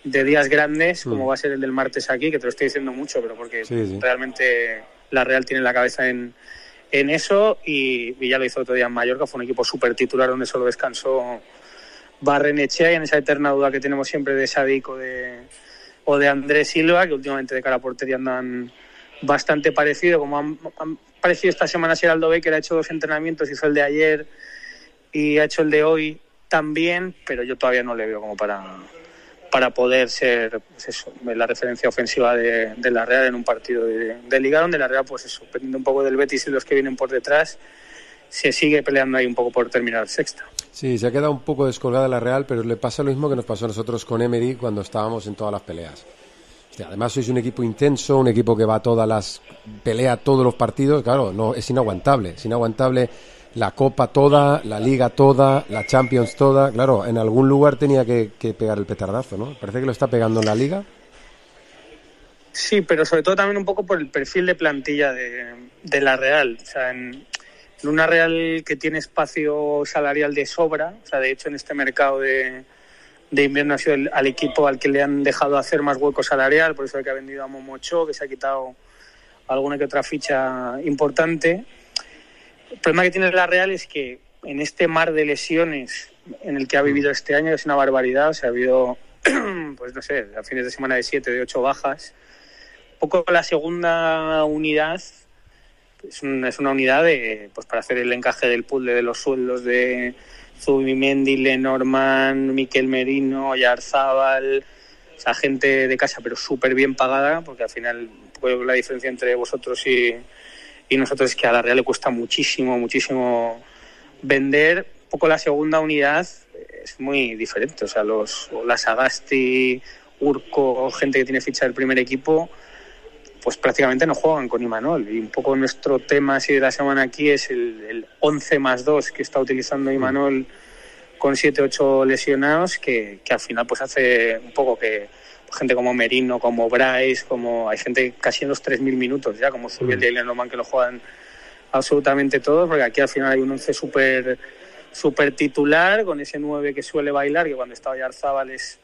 días grandes, como va a ser el del martes aquí, que te lo estoy diciendo mucho, pero porque realmente la Real tiene la cabeza en eso, y ya lo hizo otro día en Mallorca, fue un equipo súper titular donde solo descansó Barrenechea, y en esa eterna duda que tenemos siempre de Sadik o de Andrés Silva, que últimamente de cara a portería andan bastante parecido, como han parecido esta semana Geraldo Becker, ha hecho 2 entrenamientos, hizo el de ayer y ha hecho el de hoy también, pero yo todavía no le veo como para poder ser pues eso, la referencia ofensiva de la Real en un partido de Liga, donde la Real, pues eso, dependiendo un poco del Betis y los que vienen por detrás, se sigue peleando ahí un poco por terminar sexta. Sí, se ha quedado un poco descolgada la Real, pero le pasa lo mismo que nos pasó a nosotros con Emery cuando estábamos en todas las peleas. Además sois un equipo intenso, un equipo que va pelea todos los partidos, claro, no es inaguantable la Copa toda, la Liga toda, la Champions toda, claro, en algún lugar tenía que pegar el petardazo, ¿no? Parece que lo está pegando en la Liga. Sí, pero sobre todo también un poco por el perfil de plantilla de la Real, o sea, en una Real que tiene espacio salarial de sobra, o sea, de hecho en este mercado de invierno ha sido al equipo al que le han dejado hacer más hueco salarial, por eso es que ha vendido a Momocho, que se ha quitado alguna que otra ficha importante. El problema que tiene la Real es que en este mar de lesiones en el que ha vivido este año es una barbaridad, o sea, ha habido, pues no sé, a fines de semana de 7, de 8 bajas. Un poco la segunda unidad es una unidad pues para hacer el encaje del puzzle de los sueldos de Zubimendi, Lenormand, Miquel Merino, Oyarzabal, o sea, gente de casa pero súper bien pagada, porque al final la diferencia entre vosotros y nosotros es que a la Real le cuesta muchísimo vender. Un poco la segunda unidad es muy diferente, o sea, la Sagasti, Urco, gente que tiene ficha del primer equipo, pues prácticamente no juegan con Imanol. Y un poco nuestro tema así de la semana aquí es el 11+2 que está utilizando Imanol con 7-8 lesionados, que al final pues hace un poco que gente como Merino, como Bryce, como hay gente casi en los 3.000 minutos ya, como Zubiel y Lenormand, que lo juegan absolutamente todos, porque aquí al final hay un 11 súper titular, con ese 9 que suele bailar, que cuando está Oyarzábal es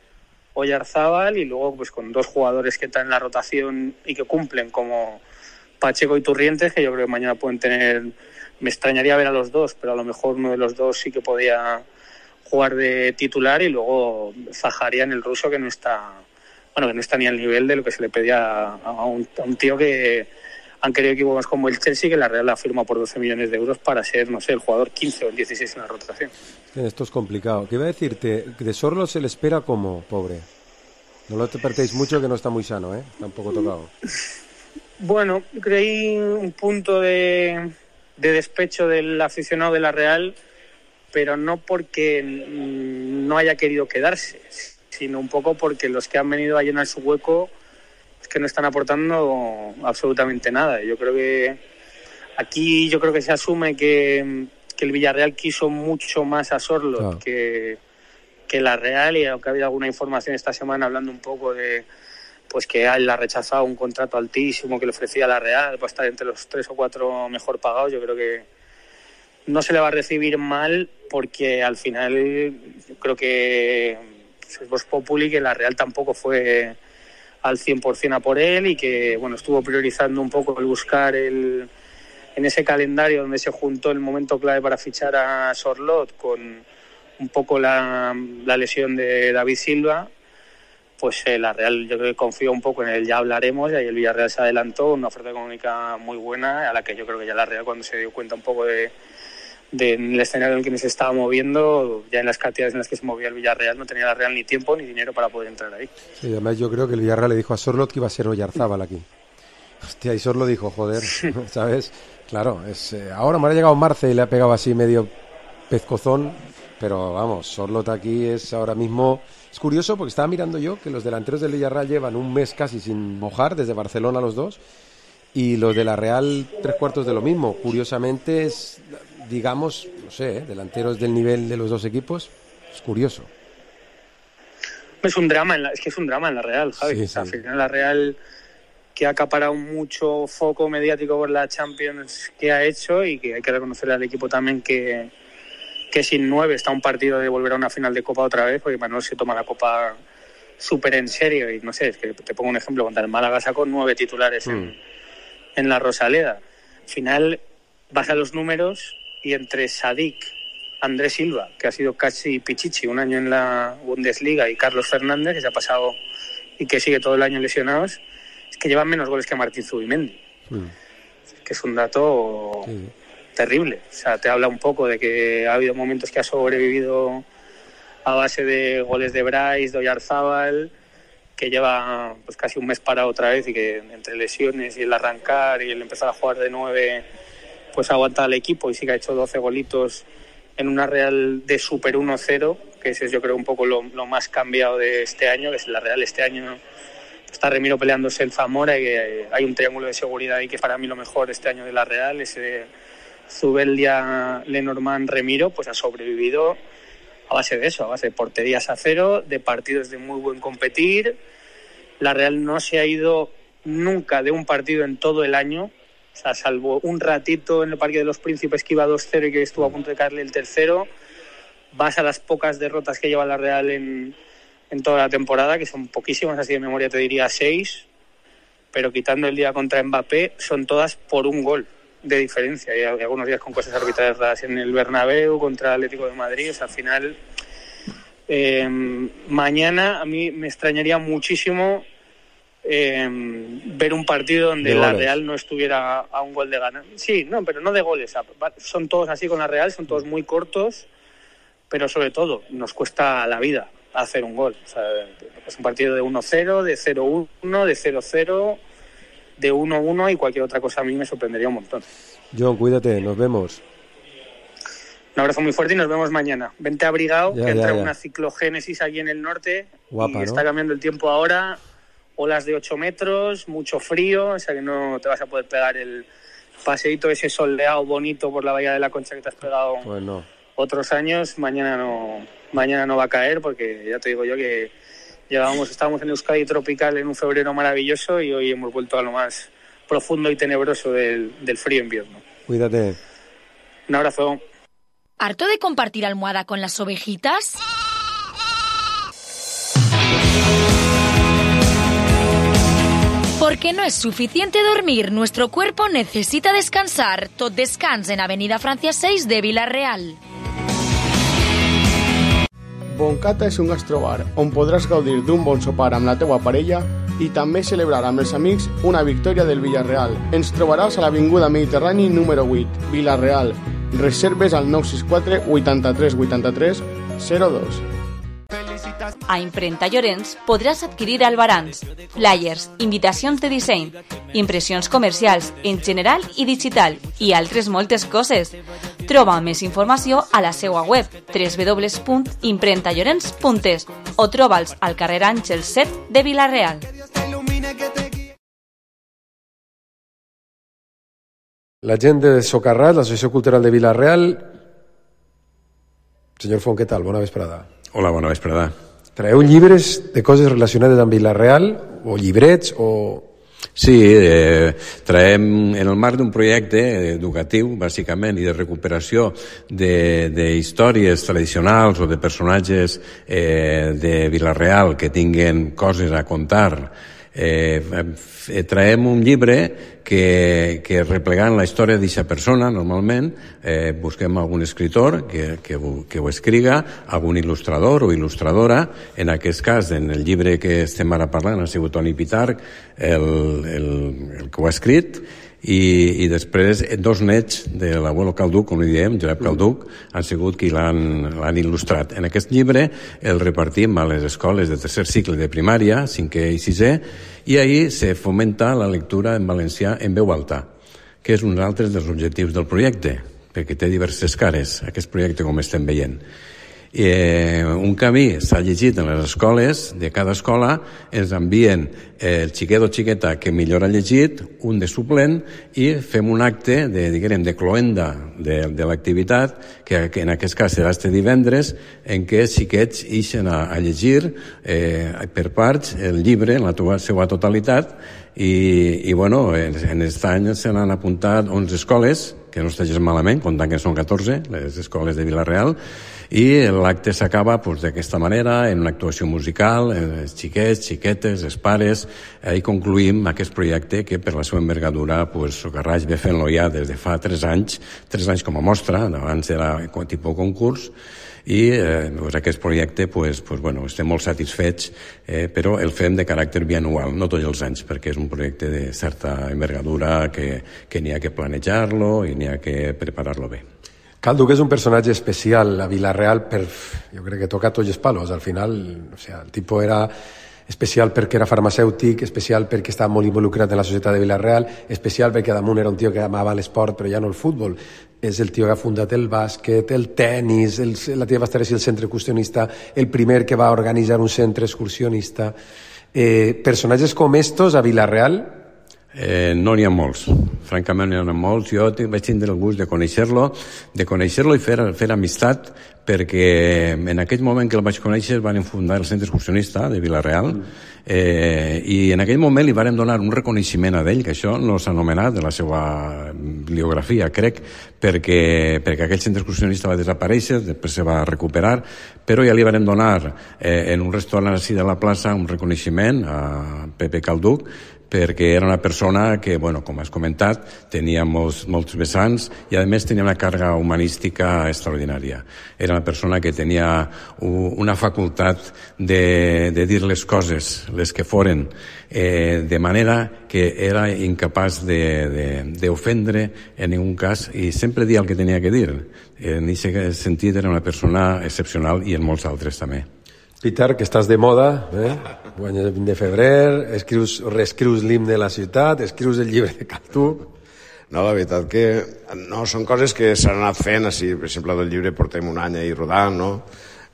Oyarzábal, y luego pues con 2 jugadores que están en la rotación y que cumplen, como Pacheco y Turrientes, que yo creo que mañana pueden tener, me extrañaría ver a los 2, pero a lo mejor uno de los 2 sí que podía jugar de titular, y luego Zaharian, el ruso, que no está ni al nivel de lo que se le pedía a un tío que han querido equipos como el Chelsea, que la Real la firma por 12 millones de euros para ser, no sé, el jugador 15 o el 16 en la rotación. Esto es complicado. ¿Qué iba a decirte? De Sorlo se le espera como, pobre. No lo perdéis mucho, que no está muy sano, Está un poco tocado. Bueno, creí un punto de despecho del aficionado de la Real, pero no porque no haya querido quedarse, sino un poco porque los que han venido a llenar su hueco es que no están aportando absolutamente nada. Yo creo que aquí se asume que el Villarreal quiso mucho más a Sorloth que la Real, y aunque ha habido alguna información esta semana hablando un poco de pues que él ha rechazado un contrato altísimo que le ofrecía la Real para estar entre los 3 o 4 mejor pagados, yo creo que no se le va a recibir mal, porque al final yo creo que es Vox Populi, que la Real tampoco fue al 100% a por él, y que bueno, estuvo priorizando un poco el buscar en ese calendario donde se juntó el momento clave para fichar a Sorloth con un poco la lesión de David Silva. Pues la Real yo creo que confió un poco en el ya hablaremos, y ahí el Villarreal se adelantó, una oferta económica muy buena, a la que yo creo que ya la Real, cuando se dio cuenta un poco del escenario en el que se estaba moviendo, ya en las cantidades en las que se movía el Villarreal, no tenía la Real ni tiempo ni dinero para poder entrar ahí. Sí, además yo creo que el Villarreal le dijo a Sorloth que iba a ser Oyarzábal aquí. Hostia, y Sorloth dijo, joder, ¿sabes? Claro, ahora me ha llegado Marce y le ha pegado así medio pescozón, pero vamos, Sorloth aquí es ahora mismo... Es curioso porque estaba mirando yo que los delanteros del Villarreal llevan un mes casi sin mojar, desde Barcelona los dos, y los de la Real 3/4 de lo mismo. Curiosamente es, digamos, no sé, delanteros del nivel de los dos equipos, es curioso. Es un drama, es un drama en la Real, Javi. Sí, o sea, sí. Al final la Real, que ha acaparado mucho foco mediático por la Champions que ha hecho, y que hay que reconocer al equipo también que sin 9 está un partido de volver a una final de Copa otra vez, porque Manuel se toma la Copa súper en serio, y no sé, es que te pongo un ejemplo, contra el Málaga sacó 9 titulares en la Rosaleda. Al final vas a los números, y entre Sadik, Andrés Silva, que ha sido casi Pichichi un año en la Bundesliga, y Carlos Fernández, que se ha pasado y que sigue todo el año lesionados, es que llevan menos goles que Martín Zubimendi. Que es un dato terrible. O sea, te habla un poco de que ha habido momentos que ha sobrevivido a base de goles de Bryce, de Oyarzábal, que lleva pues casi un mes parado otra vez, y que entre lesiones y el arrancar y el empezar a jugar de 9 pues aguanta al equipo, y sí que ha hecho 12 golitos en una Real de Super 1-0, que ese es yo creo un poco lo más cambiado de este año, que es la Real este año. Está Remiro peleándose el Zamora, y que hay un triángulo de seguridad ahí que es para mí lo mejor este año de la Real. Ese Zubeldia, Lenormand, Remiro, pues ha sobrevivido a base de eso, a base de porterías a cero, de partidos de muy buen competir. La Real no se ha ido nunca de un partido en todo el año, o sea, salvo un ratito en el Parque de los Príncipes que iba 2-0 y que estuvo a punto de caerle el tercero. Vas a las pocas derrotas que lleva la Real en toda la temporada, que son poquísimas, así de memoria te diría 6, pero quitando el día contra Mbappé, son todas por un gol de diferencia, y algunos días con cosas arbitrarias raras en el Bernabéu contra el Atlético de Madrid. O sea, al final mañana a mí me extrañaría muchísimo ver un partido donde la Real no estuviera a un gol de ganar. Sí, no, pero no de goles, o sea, son todos así con la Real, son todos muy cortos, pero sobre todo nos cuesta la vida hacer un gol. O sea, es un partido de 1-0, de 0-1, de 0-0, de 1-1, y cualquier otra cosa a mí me sorprendería un montón. John, cuídate, nos vemos. Un abrazo muy fuerte y nos vemos mañana. Vente abrigado, que entra una ciclogénesis aquí en el norte. Guapa, y está cambiando el tiempo ahora olas de 8 metros, mucho frío, o sea que no te vas a poder pegar el paseíto ese soleado bonito por la Bahía de la Concha que te has pegado otros años. Mañana no va a caer, porque ya te digo yo que estábamos en Euskadi tropical en un febrero maravilloso y hoy hemos vuelto a lo más profundo y tenebroso del frío invierno. Cuídate. Un abrazo. ¿Harto de compartir almohada con las ovejitas? Porque no es suficiente dormir, nuestro cuerpo necesita descansar. Tot descans en Avenida Francia 6 de Vila-real. Boncata és un gastrobar on podràs gaudir d'un bon sopar amb la teua parella i també celebrar amb els amics una victòria del Villarreal. Ens trobaràs a l'Avinguda Mediterrani número 8, Vila-real. Reserves al 964 83 83 02. A Imprenta Llorenç podràs adquirir albarans, flyers, invitacions de disseny, impressions comercials en general i digital i altres moltes coses. Troba més informació a la seva web www.imprentallorenç.es o troba'ls al carrer Àngel 7 de Vila-real. La gent de Socarrats, l'Associació Cultural de Vila-real. Senyor Font, què tal? Bona vesprada. Hola, bona vesprada. Traeu llibres de coses relacionades amb Vila-real, o llibrets, o... Sí, traiem en el marc d'un projecte educatiu, bàsicament, i de recuperació d'històries tradicionals o de personatges de Vila-real que tinguen coses a contar. Traiem un llibre que replegant la història d'aquesta persona, normalment, busquem algun escritor que ho escriga, algun il·lustrador o il·lustradora. En aquest cas, en el llibre que estem ara parlant, ha sigut Toni Pitarch el que ho ha escrit, i després dos nets de l'abuelo Calduc, com li diem, Josep Calduc, han sigut qui l'han il·lustrat. En aquest llibre el repartim a les escoles de tercer cicle de primària, 5è i 6è, i ahir se fomenta la lectura en valencià en veu alta, que és un altre dels objectius del projecte, perquè té diverses cares, aquest projecte, com estem veient. Un camí s'ha llegit en les escoles, de cada escola ens envien el xiquet o xiqueta que millor ha llegit, un de suplent, i fem un acte de cloenda de l'activitat, que en aquest cas serà este divendres, en què els xiquets ixen a llegir per parts el llibre en la seva totalitat, i bueno, en aquest any se n'han apuntat 11 escoles, que no està gens malament, comptant que són 14, les escoles de Vila-real, i l'acte s'acaba d'aquesta manera, en una actuació musical, els xiquets, xiquetes, els pares, i concluïm aquest projecte que per la seva envergadura Socarrats ve fent-lo ja des de fa 3 anys com a mostra, abans era tipus concurs, i aquest projecte estem molt satisfets, però el fem de caràcter bianual, no tots els anys, perquè és un projecte de certa envergadura que n'hi ha que planejar-lo i n'hi ha que preparar-lo bé. Calduc és un personatge especial a Vila-real, jo crec que toca tots els palos. Al final, el tipus era especial perquè era farmacèutic, especial perquè estava molt involucrat en la societat de Vila-real, especial perquè damunt era un tio que amava l'esport, però ja no el futbol. És el tio que ha fundat el bàsquet, el tennis, la tia va estar així el centre excursionista, el primer que va organitzar un centre excursionista. Personatges com estos a Vila-real? No n'hi ha molts, francament n'hi ha molts. Jo vaig tindre el gust de conèixer-lo i fer amistat, perquè en aquell moment que el vaig conèixer van fundar el centre excursionista de Vila-real, i en aquell moment li vàrem donar un reconeixement a ell, que això no s'ha anomenat en la seva bibliografia, crec, perquè aquell centre excursionista va desaparèixer, després se va recuperar, però ja li vàrem donar en un restaurant així de la plaça un reconeixement a Pepe Calduc, perquè era una persona que, com has comentat, tenia molts vessants i, a més, tenia una càrrega humanística extraordinària. Era una persona que tenia una facultat de dir les coses, les que foren, de manera que era incapaç d'ofendre en ningú cas i sempre dia el que tenia que dir. En aquest sentit era una persona excepcional i en molts altres també. Pitarch, que estàs de moda, guanyes el 20 de febrer, reescrius l'himne de la ciutat, escrius el llibre de Calduc. No, la veritat que no, són coses que s'han anat fent, així, per exemple, del llibre portem un any ahir rodant, no?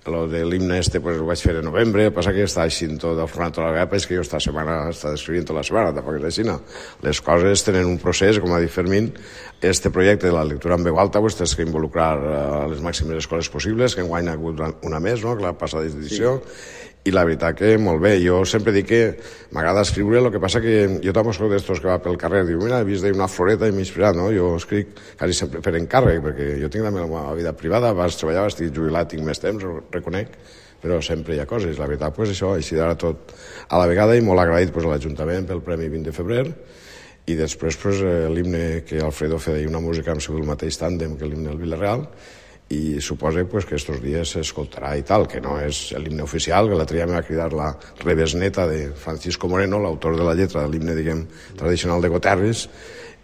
Lo de l'himne pues, ho vaig fer en novembre, passa que està així tot el format tota la vegada, és que jo esta setmana està escrivint tota la setmana, tampoc és així, no? Les coses tenen un procés, com ha dit Fermín, este projecte de la lectura en veu alta pues, tens que involucrar a les màximes escoles possibles, que enguany ha hagut una més, no?, que la passada edició, i la veritat que molt bé. Jo sempre dic que m'agrada escriure, el que passa que jo també soc d'estos que va pel carrer, diu, mira, he vist una floreta i m'he inspirat, no? Jo escric quasi sempre per encàrrec, perquè jo tinc també la meva vida privada, vas treballar, estic jubilat, tinc més temps, ho reconec, però sempre hi ha coses. La veritat, pues això, així d'ara tot a la vegada, i molt agraït pues, a l'Ajuntament pel Premi 20 de febrer, i després pues, l'himne que Alfredo feia una música amb el mateix tàndem que l'himne del Villarreal, i suposa pues, que estos dies s'escoltarà i tal, que no és l'himne oficial, que l'altre dia me va cridar la rebesneta de Francisco Moreno, l'autor de la lletra de l'himne, diguem, tradicional de Goterris,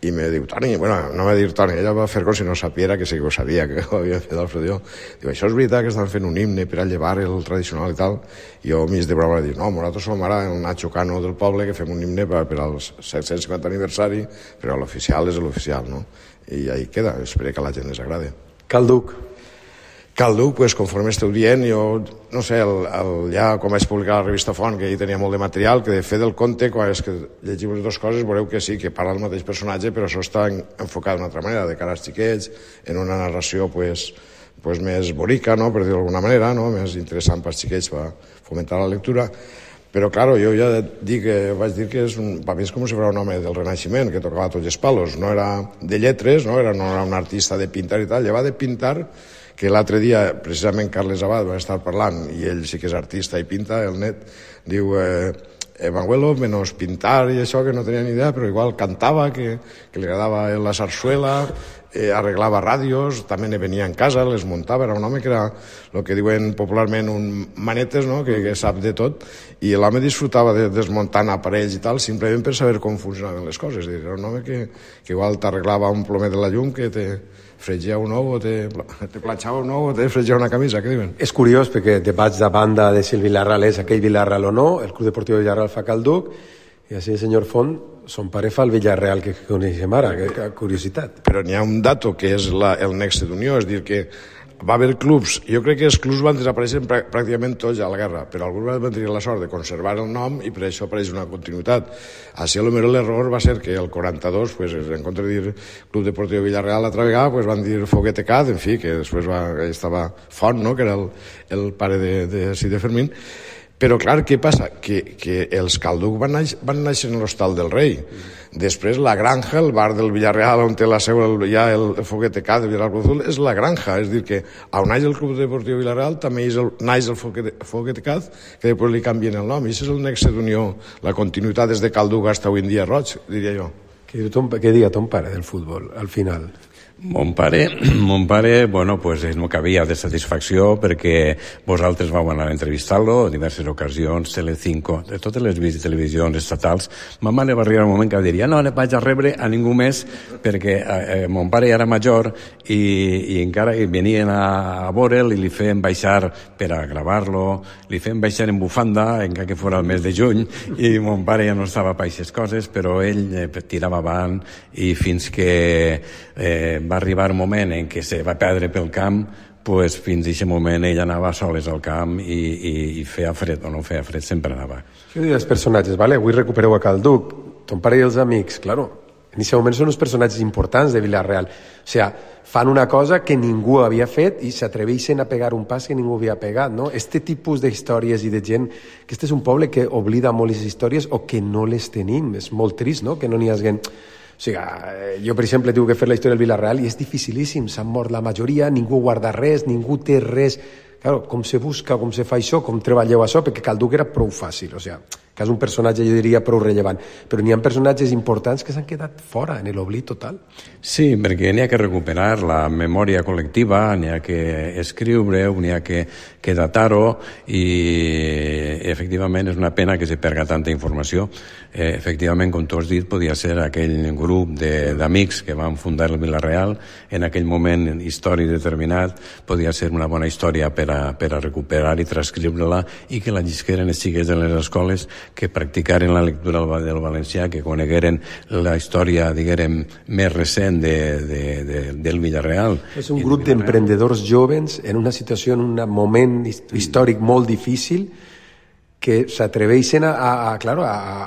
i me diu, Toni, bueno, no va dir Toni, ella va fer com si no sapiera, que sí que ho sabia, que ho havia fet Alfredo. Diu, això és veritat que estan fent un himne per a llevar el tradicional i tal? I jo mig de broma vaig dir, no, nosaltres som ara el Nacho Cano del poble, que fem un himne per al 750 aniversari, però l'oficial és l'oficial, no? I ahí queda, espero que a la gent les agrade. Calduc, pues, conforme esteu dient, jo, no sé, ja quan vaig publicar la revista Font, que hi tenia molt de material, que de fer del conte, quan és que llegiu les dues coses, veureu que sí, que parla el mateix personatge, però això està enfocat d'una altra manera, de cara als xiquets, en una narració, pues, més bonica, no?, per dir-ho d'alguna manera, no?, més interessant pels xiquets per fomentar la lectura. Però, claro, jo ja vaig dir que per mi és com si fos un home del Renaixement, que tocava tots els palos, no era de lletres, no era un artista de pintar i tal, lleva de pintar, que l'altre dia, precisament, Carles Abad va estar parlant, i ell sí que és artista i pinta, el net, diu, Manuelo, menos pintar i això, que no tenia ni idea, però igual cantava, que li agradava la sarsuela, arreglava ràdios, també ne venia en casa, les muntava, era un home que era el que diuen popularment un manetes, no?, que sap de tot, i l'home disfrutava de desmuntant aparells i tal, simplement per saber com funcionaven les coses. Era un home que igual t'arreglava un plomer de la llum, que te fregia un ou, o te planxava un ou, o te fregia una camisa, què diuen? És curiós, perquè debats de banda de si el Villarreal és aquell Villarreal o no, el Club Deportiu Villarreal fa Calduc, i així el senyor Font, son pare fa el Villarreal que coneixem ara, que curiositat. Però n'hi ha un dato que és el nexe d'unió, és dir que va haver clubs, jo crec que els clubs van desaparèixer pràcticament tots a la guerra, però alguns van tenir la sort de conservar el nom i per això apareix una continuïtat. Així, potser l'error va ser que el 42, pues, en compte de dir Club Deportiu Villarreal l'altra vegada, pues, van dir Foguete Cat, en fi, que després estava Font, no?, que era el pare de Fermín. Però, clar, què passa? Que els Calduc van néixer en l'Hostal del Rei. Després, la Granja, el bar del Villarreal, on té la seu ja el Foguete Cat de Villarreal Cruzul, és la Granja. És a dir, que on naix el Club Deportiu Villarreal també naix el Foguete Cat, que després li canvien el nom. I això és el nexe d'unió, la continuïtat des de Calduc fins avui en dia roig, diria jo. Què diga ton pare del futbol, al final? Mon pare, bueno, pues no cabia de satisfacció perquè vosaltres vau anar a entrevistar-lo en diverses ocasions, Telecinco, de totes les televisions estatals. Ma mare va arribar un moment que diria no le vaig a rebre a ningú més perquè mon pare era major i encara venien a veure'l i li feien baixar per a gravar-lo, li feien baixar en bufanda encara que fos el mes de juny i mon pare ja no estava per aquestes coses, però ell tirava avant i fins que va arribar un moment en què se va perdre pel camp, pues fins a aquest moment ell anava soles al camp i feia fred o no feia fred, sempre anava. Què dius dels personatges, vale? Avui recupereu a Calduc, ton pare i els amics, claro, en aquest moment són uns personatges importants de Villarreal, o sigui, fan una cosa que ningú havia fet i s'atreveixen a pegar un pas que ningú havia pegat, no? Este tipus d'històries i de gent, que este és un poble que oblida molt les històries o que no les tenim, és molt trist, no?, que no n'hi hagi... O sigui, jo, per exemple, tinc que fer la història del Villarreal i és dificilíssim, s'han mort la majoria, ningú guarda res, ningú té res. Claro, com se busca, com se fa això, com treballeu això, perquè Calduc era prou fàcil, o sigui, que és un personatge, jo diria, prou rellevant. Però n'hi ha personatges importants que s'han quedat fora, en l'oblit total. Sí, perquè n'hi ha que recuperar la memòria col·lectiva, n'hi ha que escriure-ho, n'hi ha que datar-ho, i efectivament és una pena que se perga tanta informació. Efectivament, com tu has dit, podia ser aquell grup d'amics que van fundar el Villarreal, en aquell moment històric determinat, podia ser una bona història per a recuperar i transcriure-la i que la llisqueren els xiquets de les escoles que practicaren la lectura del valencià, que conegueren la història, diguem, més recent del Villarreal. És un grup d'emprendedors joves en una situació, en un moment històric molt difícil, que s'atreveixen a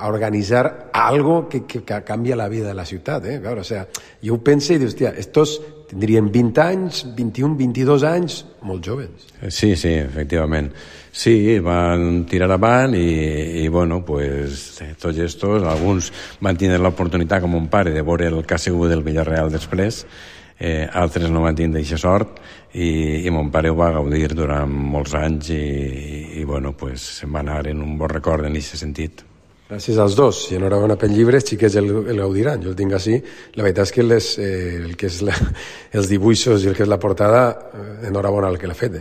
organitzar algo que canvia la vida de la ciutat. Claro, o sea, jo ho penso i dius, hòstia, estos tindrien 20 anys, 21, 22 anys, molt joves. Sí, efectivament. Sí, van tirar avant i bueno, pues tots estos, alguns van tenir l'oportunitat, com un pare, de veure el que ha sigut del Villarreal després, altres no van tindre aquesta sort i mon pare ho va gaudir durant molts anys i bueno, pues se'n va anar en un bon record en aquest sentit. Gràcies als dos, i enhorabona pel llibre, els xiquets el gaudiran, jo el tinc així. La veritat és que el que és els dibuixos i el que és la portada, enhorabona el que l'ha fet,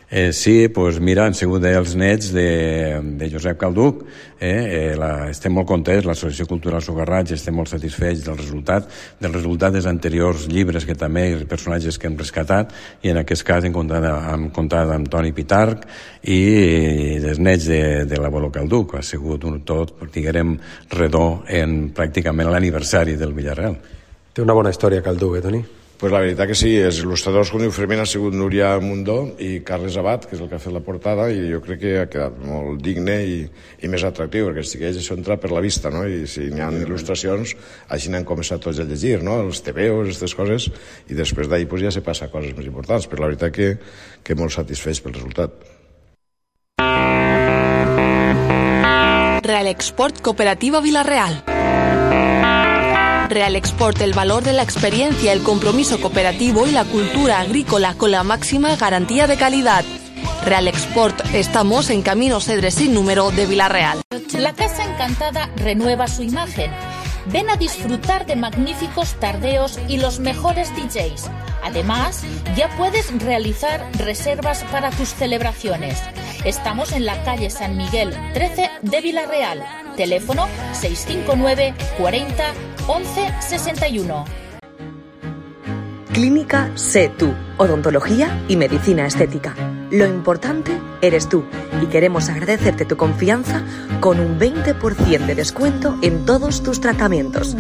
Sí, doncs mira, han sigut els nets de Josep Calduc. Estem molt contents, l'Associació Cultural Sogarraig, estem molt satisfets del resultat dels anteriors llibres, que també els personatges que hem rescatat, i en aquest cas hem comptat amb Toni Pitarch i els nets de l'Abuelo Calduc. Ha sigut un tot, diguem, redó en pràcticament l'aniversari del Villarreal. Té una bona història Calduc, Toni? Pues la veritat que sí, els il·lustradors, com diu Fermín, ha sigut Núria Mundó i Carles Abad, que és el que ha fet la portada, i jo crec que ha quedat molt digne i més atractiu, perquè els xiquets això entra per la vista, no? I si n'hi ha il·lustracions, així n'han començat tots a llegir, no? Els tebeos, aquestes coses, i després d'ahir pues, ja se passa a coses més importants, però la veritat que molt satisfets pel resultat. Real Export Cooperativa Villarreal. Real Export, el valor de la experiencia, el compromiso cooperativo y la cultura agrícola con la máxima garantía de calidad. Real Export, estamos en Camino Cedres sin número de Villarreal. La Casa Encantada renueva su imagen. Ven a disfrutar de magníficos tardeos y los mejores DJs. Además, ya puedes realizar reservas para tus celebraciones. Estamos en la calle San Miguel 13 de Villarreal. Teléfono 659 40 11 61. Clínica Sé Tú, odontología y medicina estética. Lo importante eres tú y queremos agradecerte tu confianza con un 20% de descuento en todos tus tratamientos.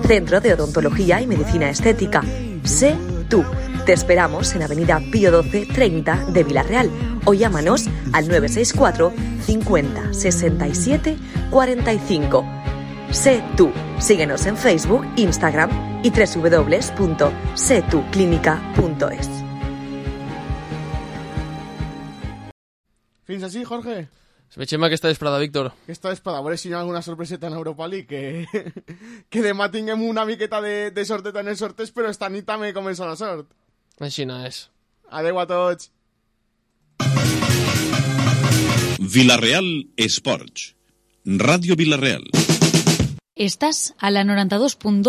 Centro de Odontología y Medicina Estética. Sé Tú. Te esperamos en Avenida Pío 12 30 de Villarreal o llámanos al 964 50 67 45. Sé Tú. Síguenos en Facebook, Instagram y www.setuclinica.es. Fins així, Jorge? Veiem aquesta vesprada, Víctor. Aquesta vesprada, a veure si hi ha alguna sorpreseta en Europa League, que demà tinguem una miqueta de sorteta en els sorteig, però esta nit també comença la sort. Així no és. Adeu a tots. Villarreal Esports. Radio Villarreal. Estás a la 92.2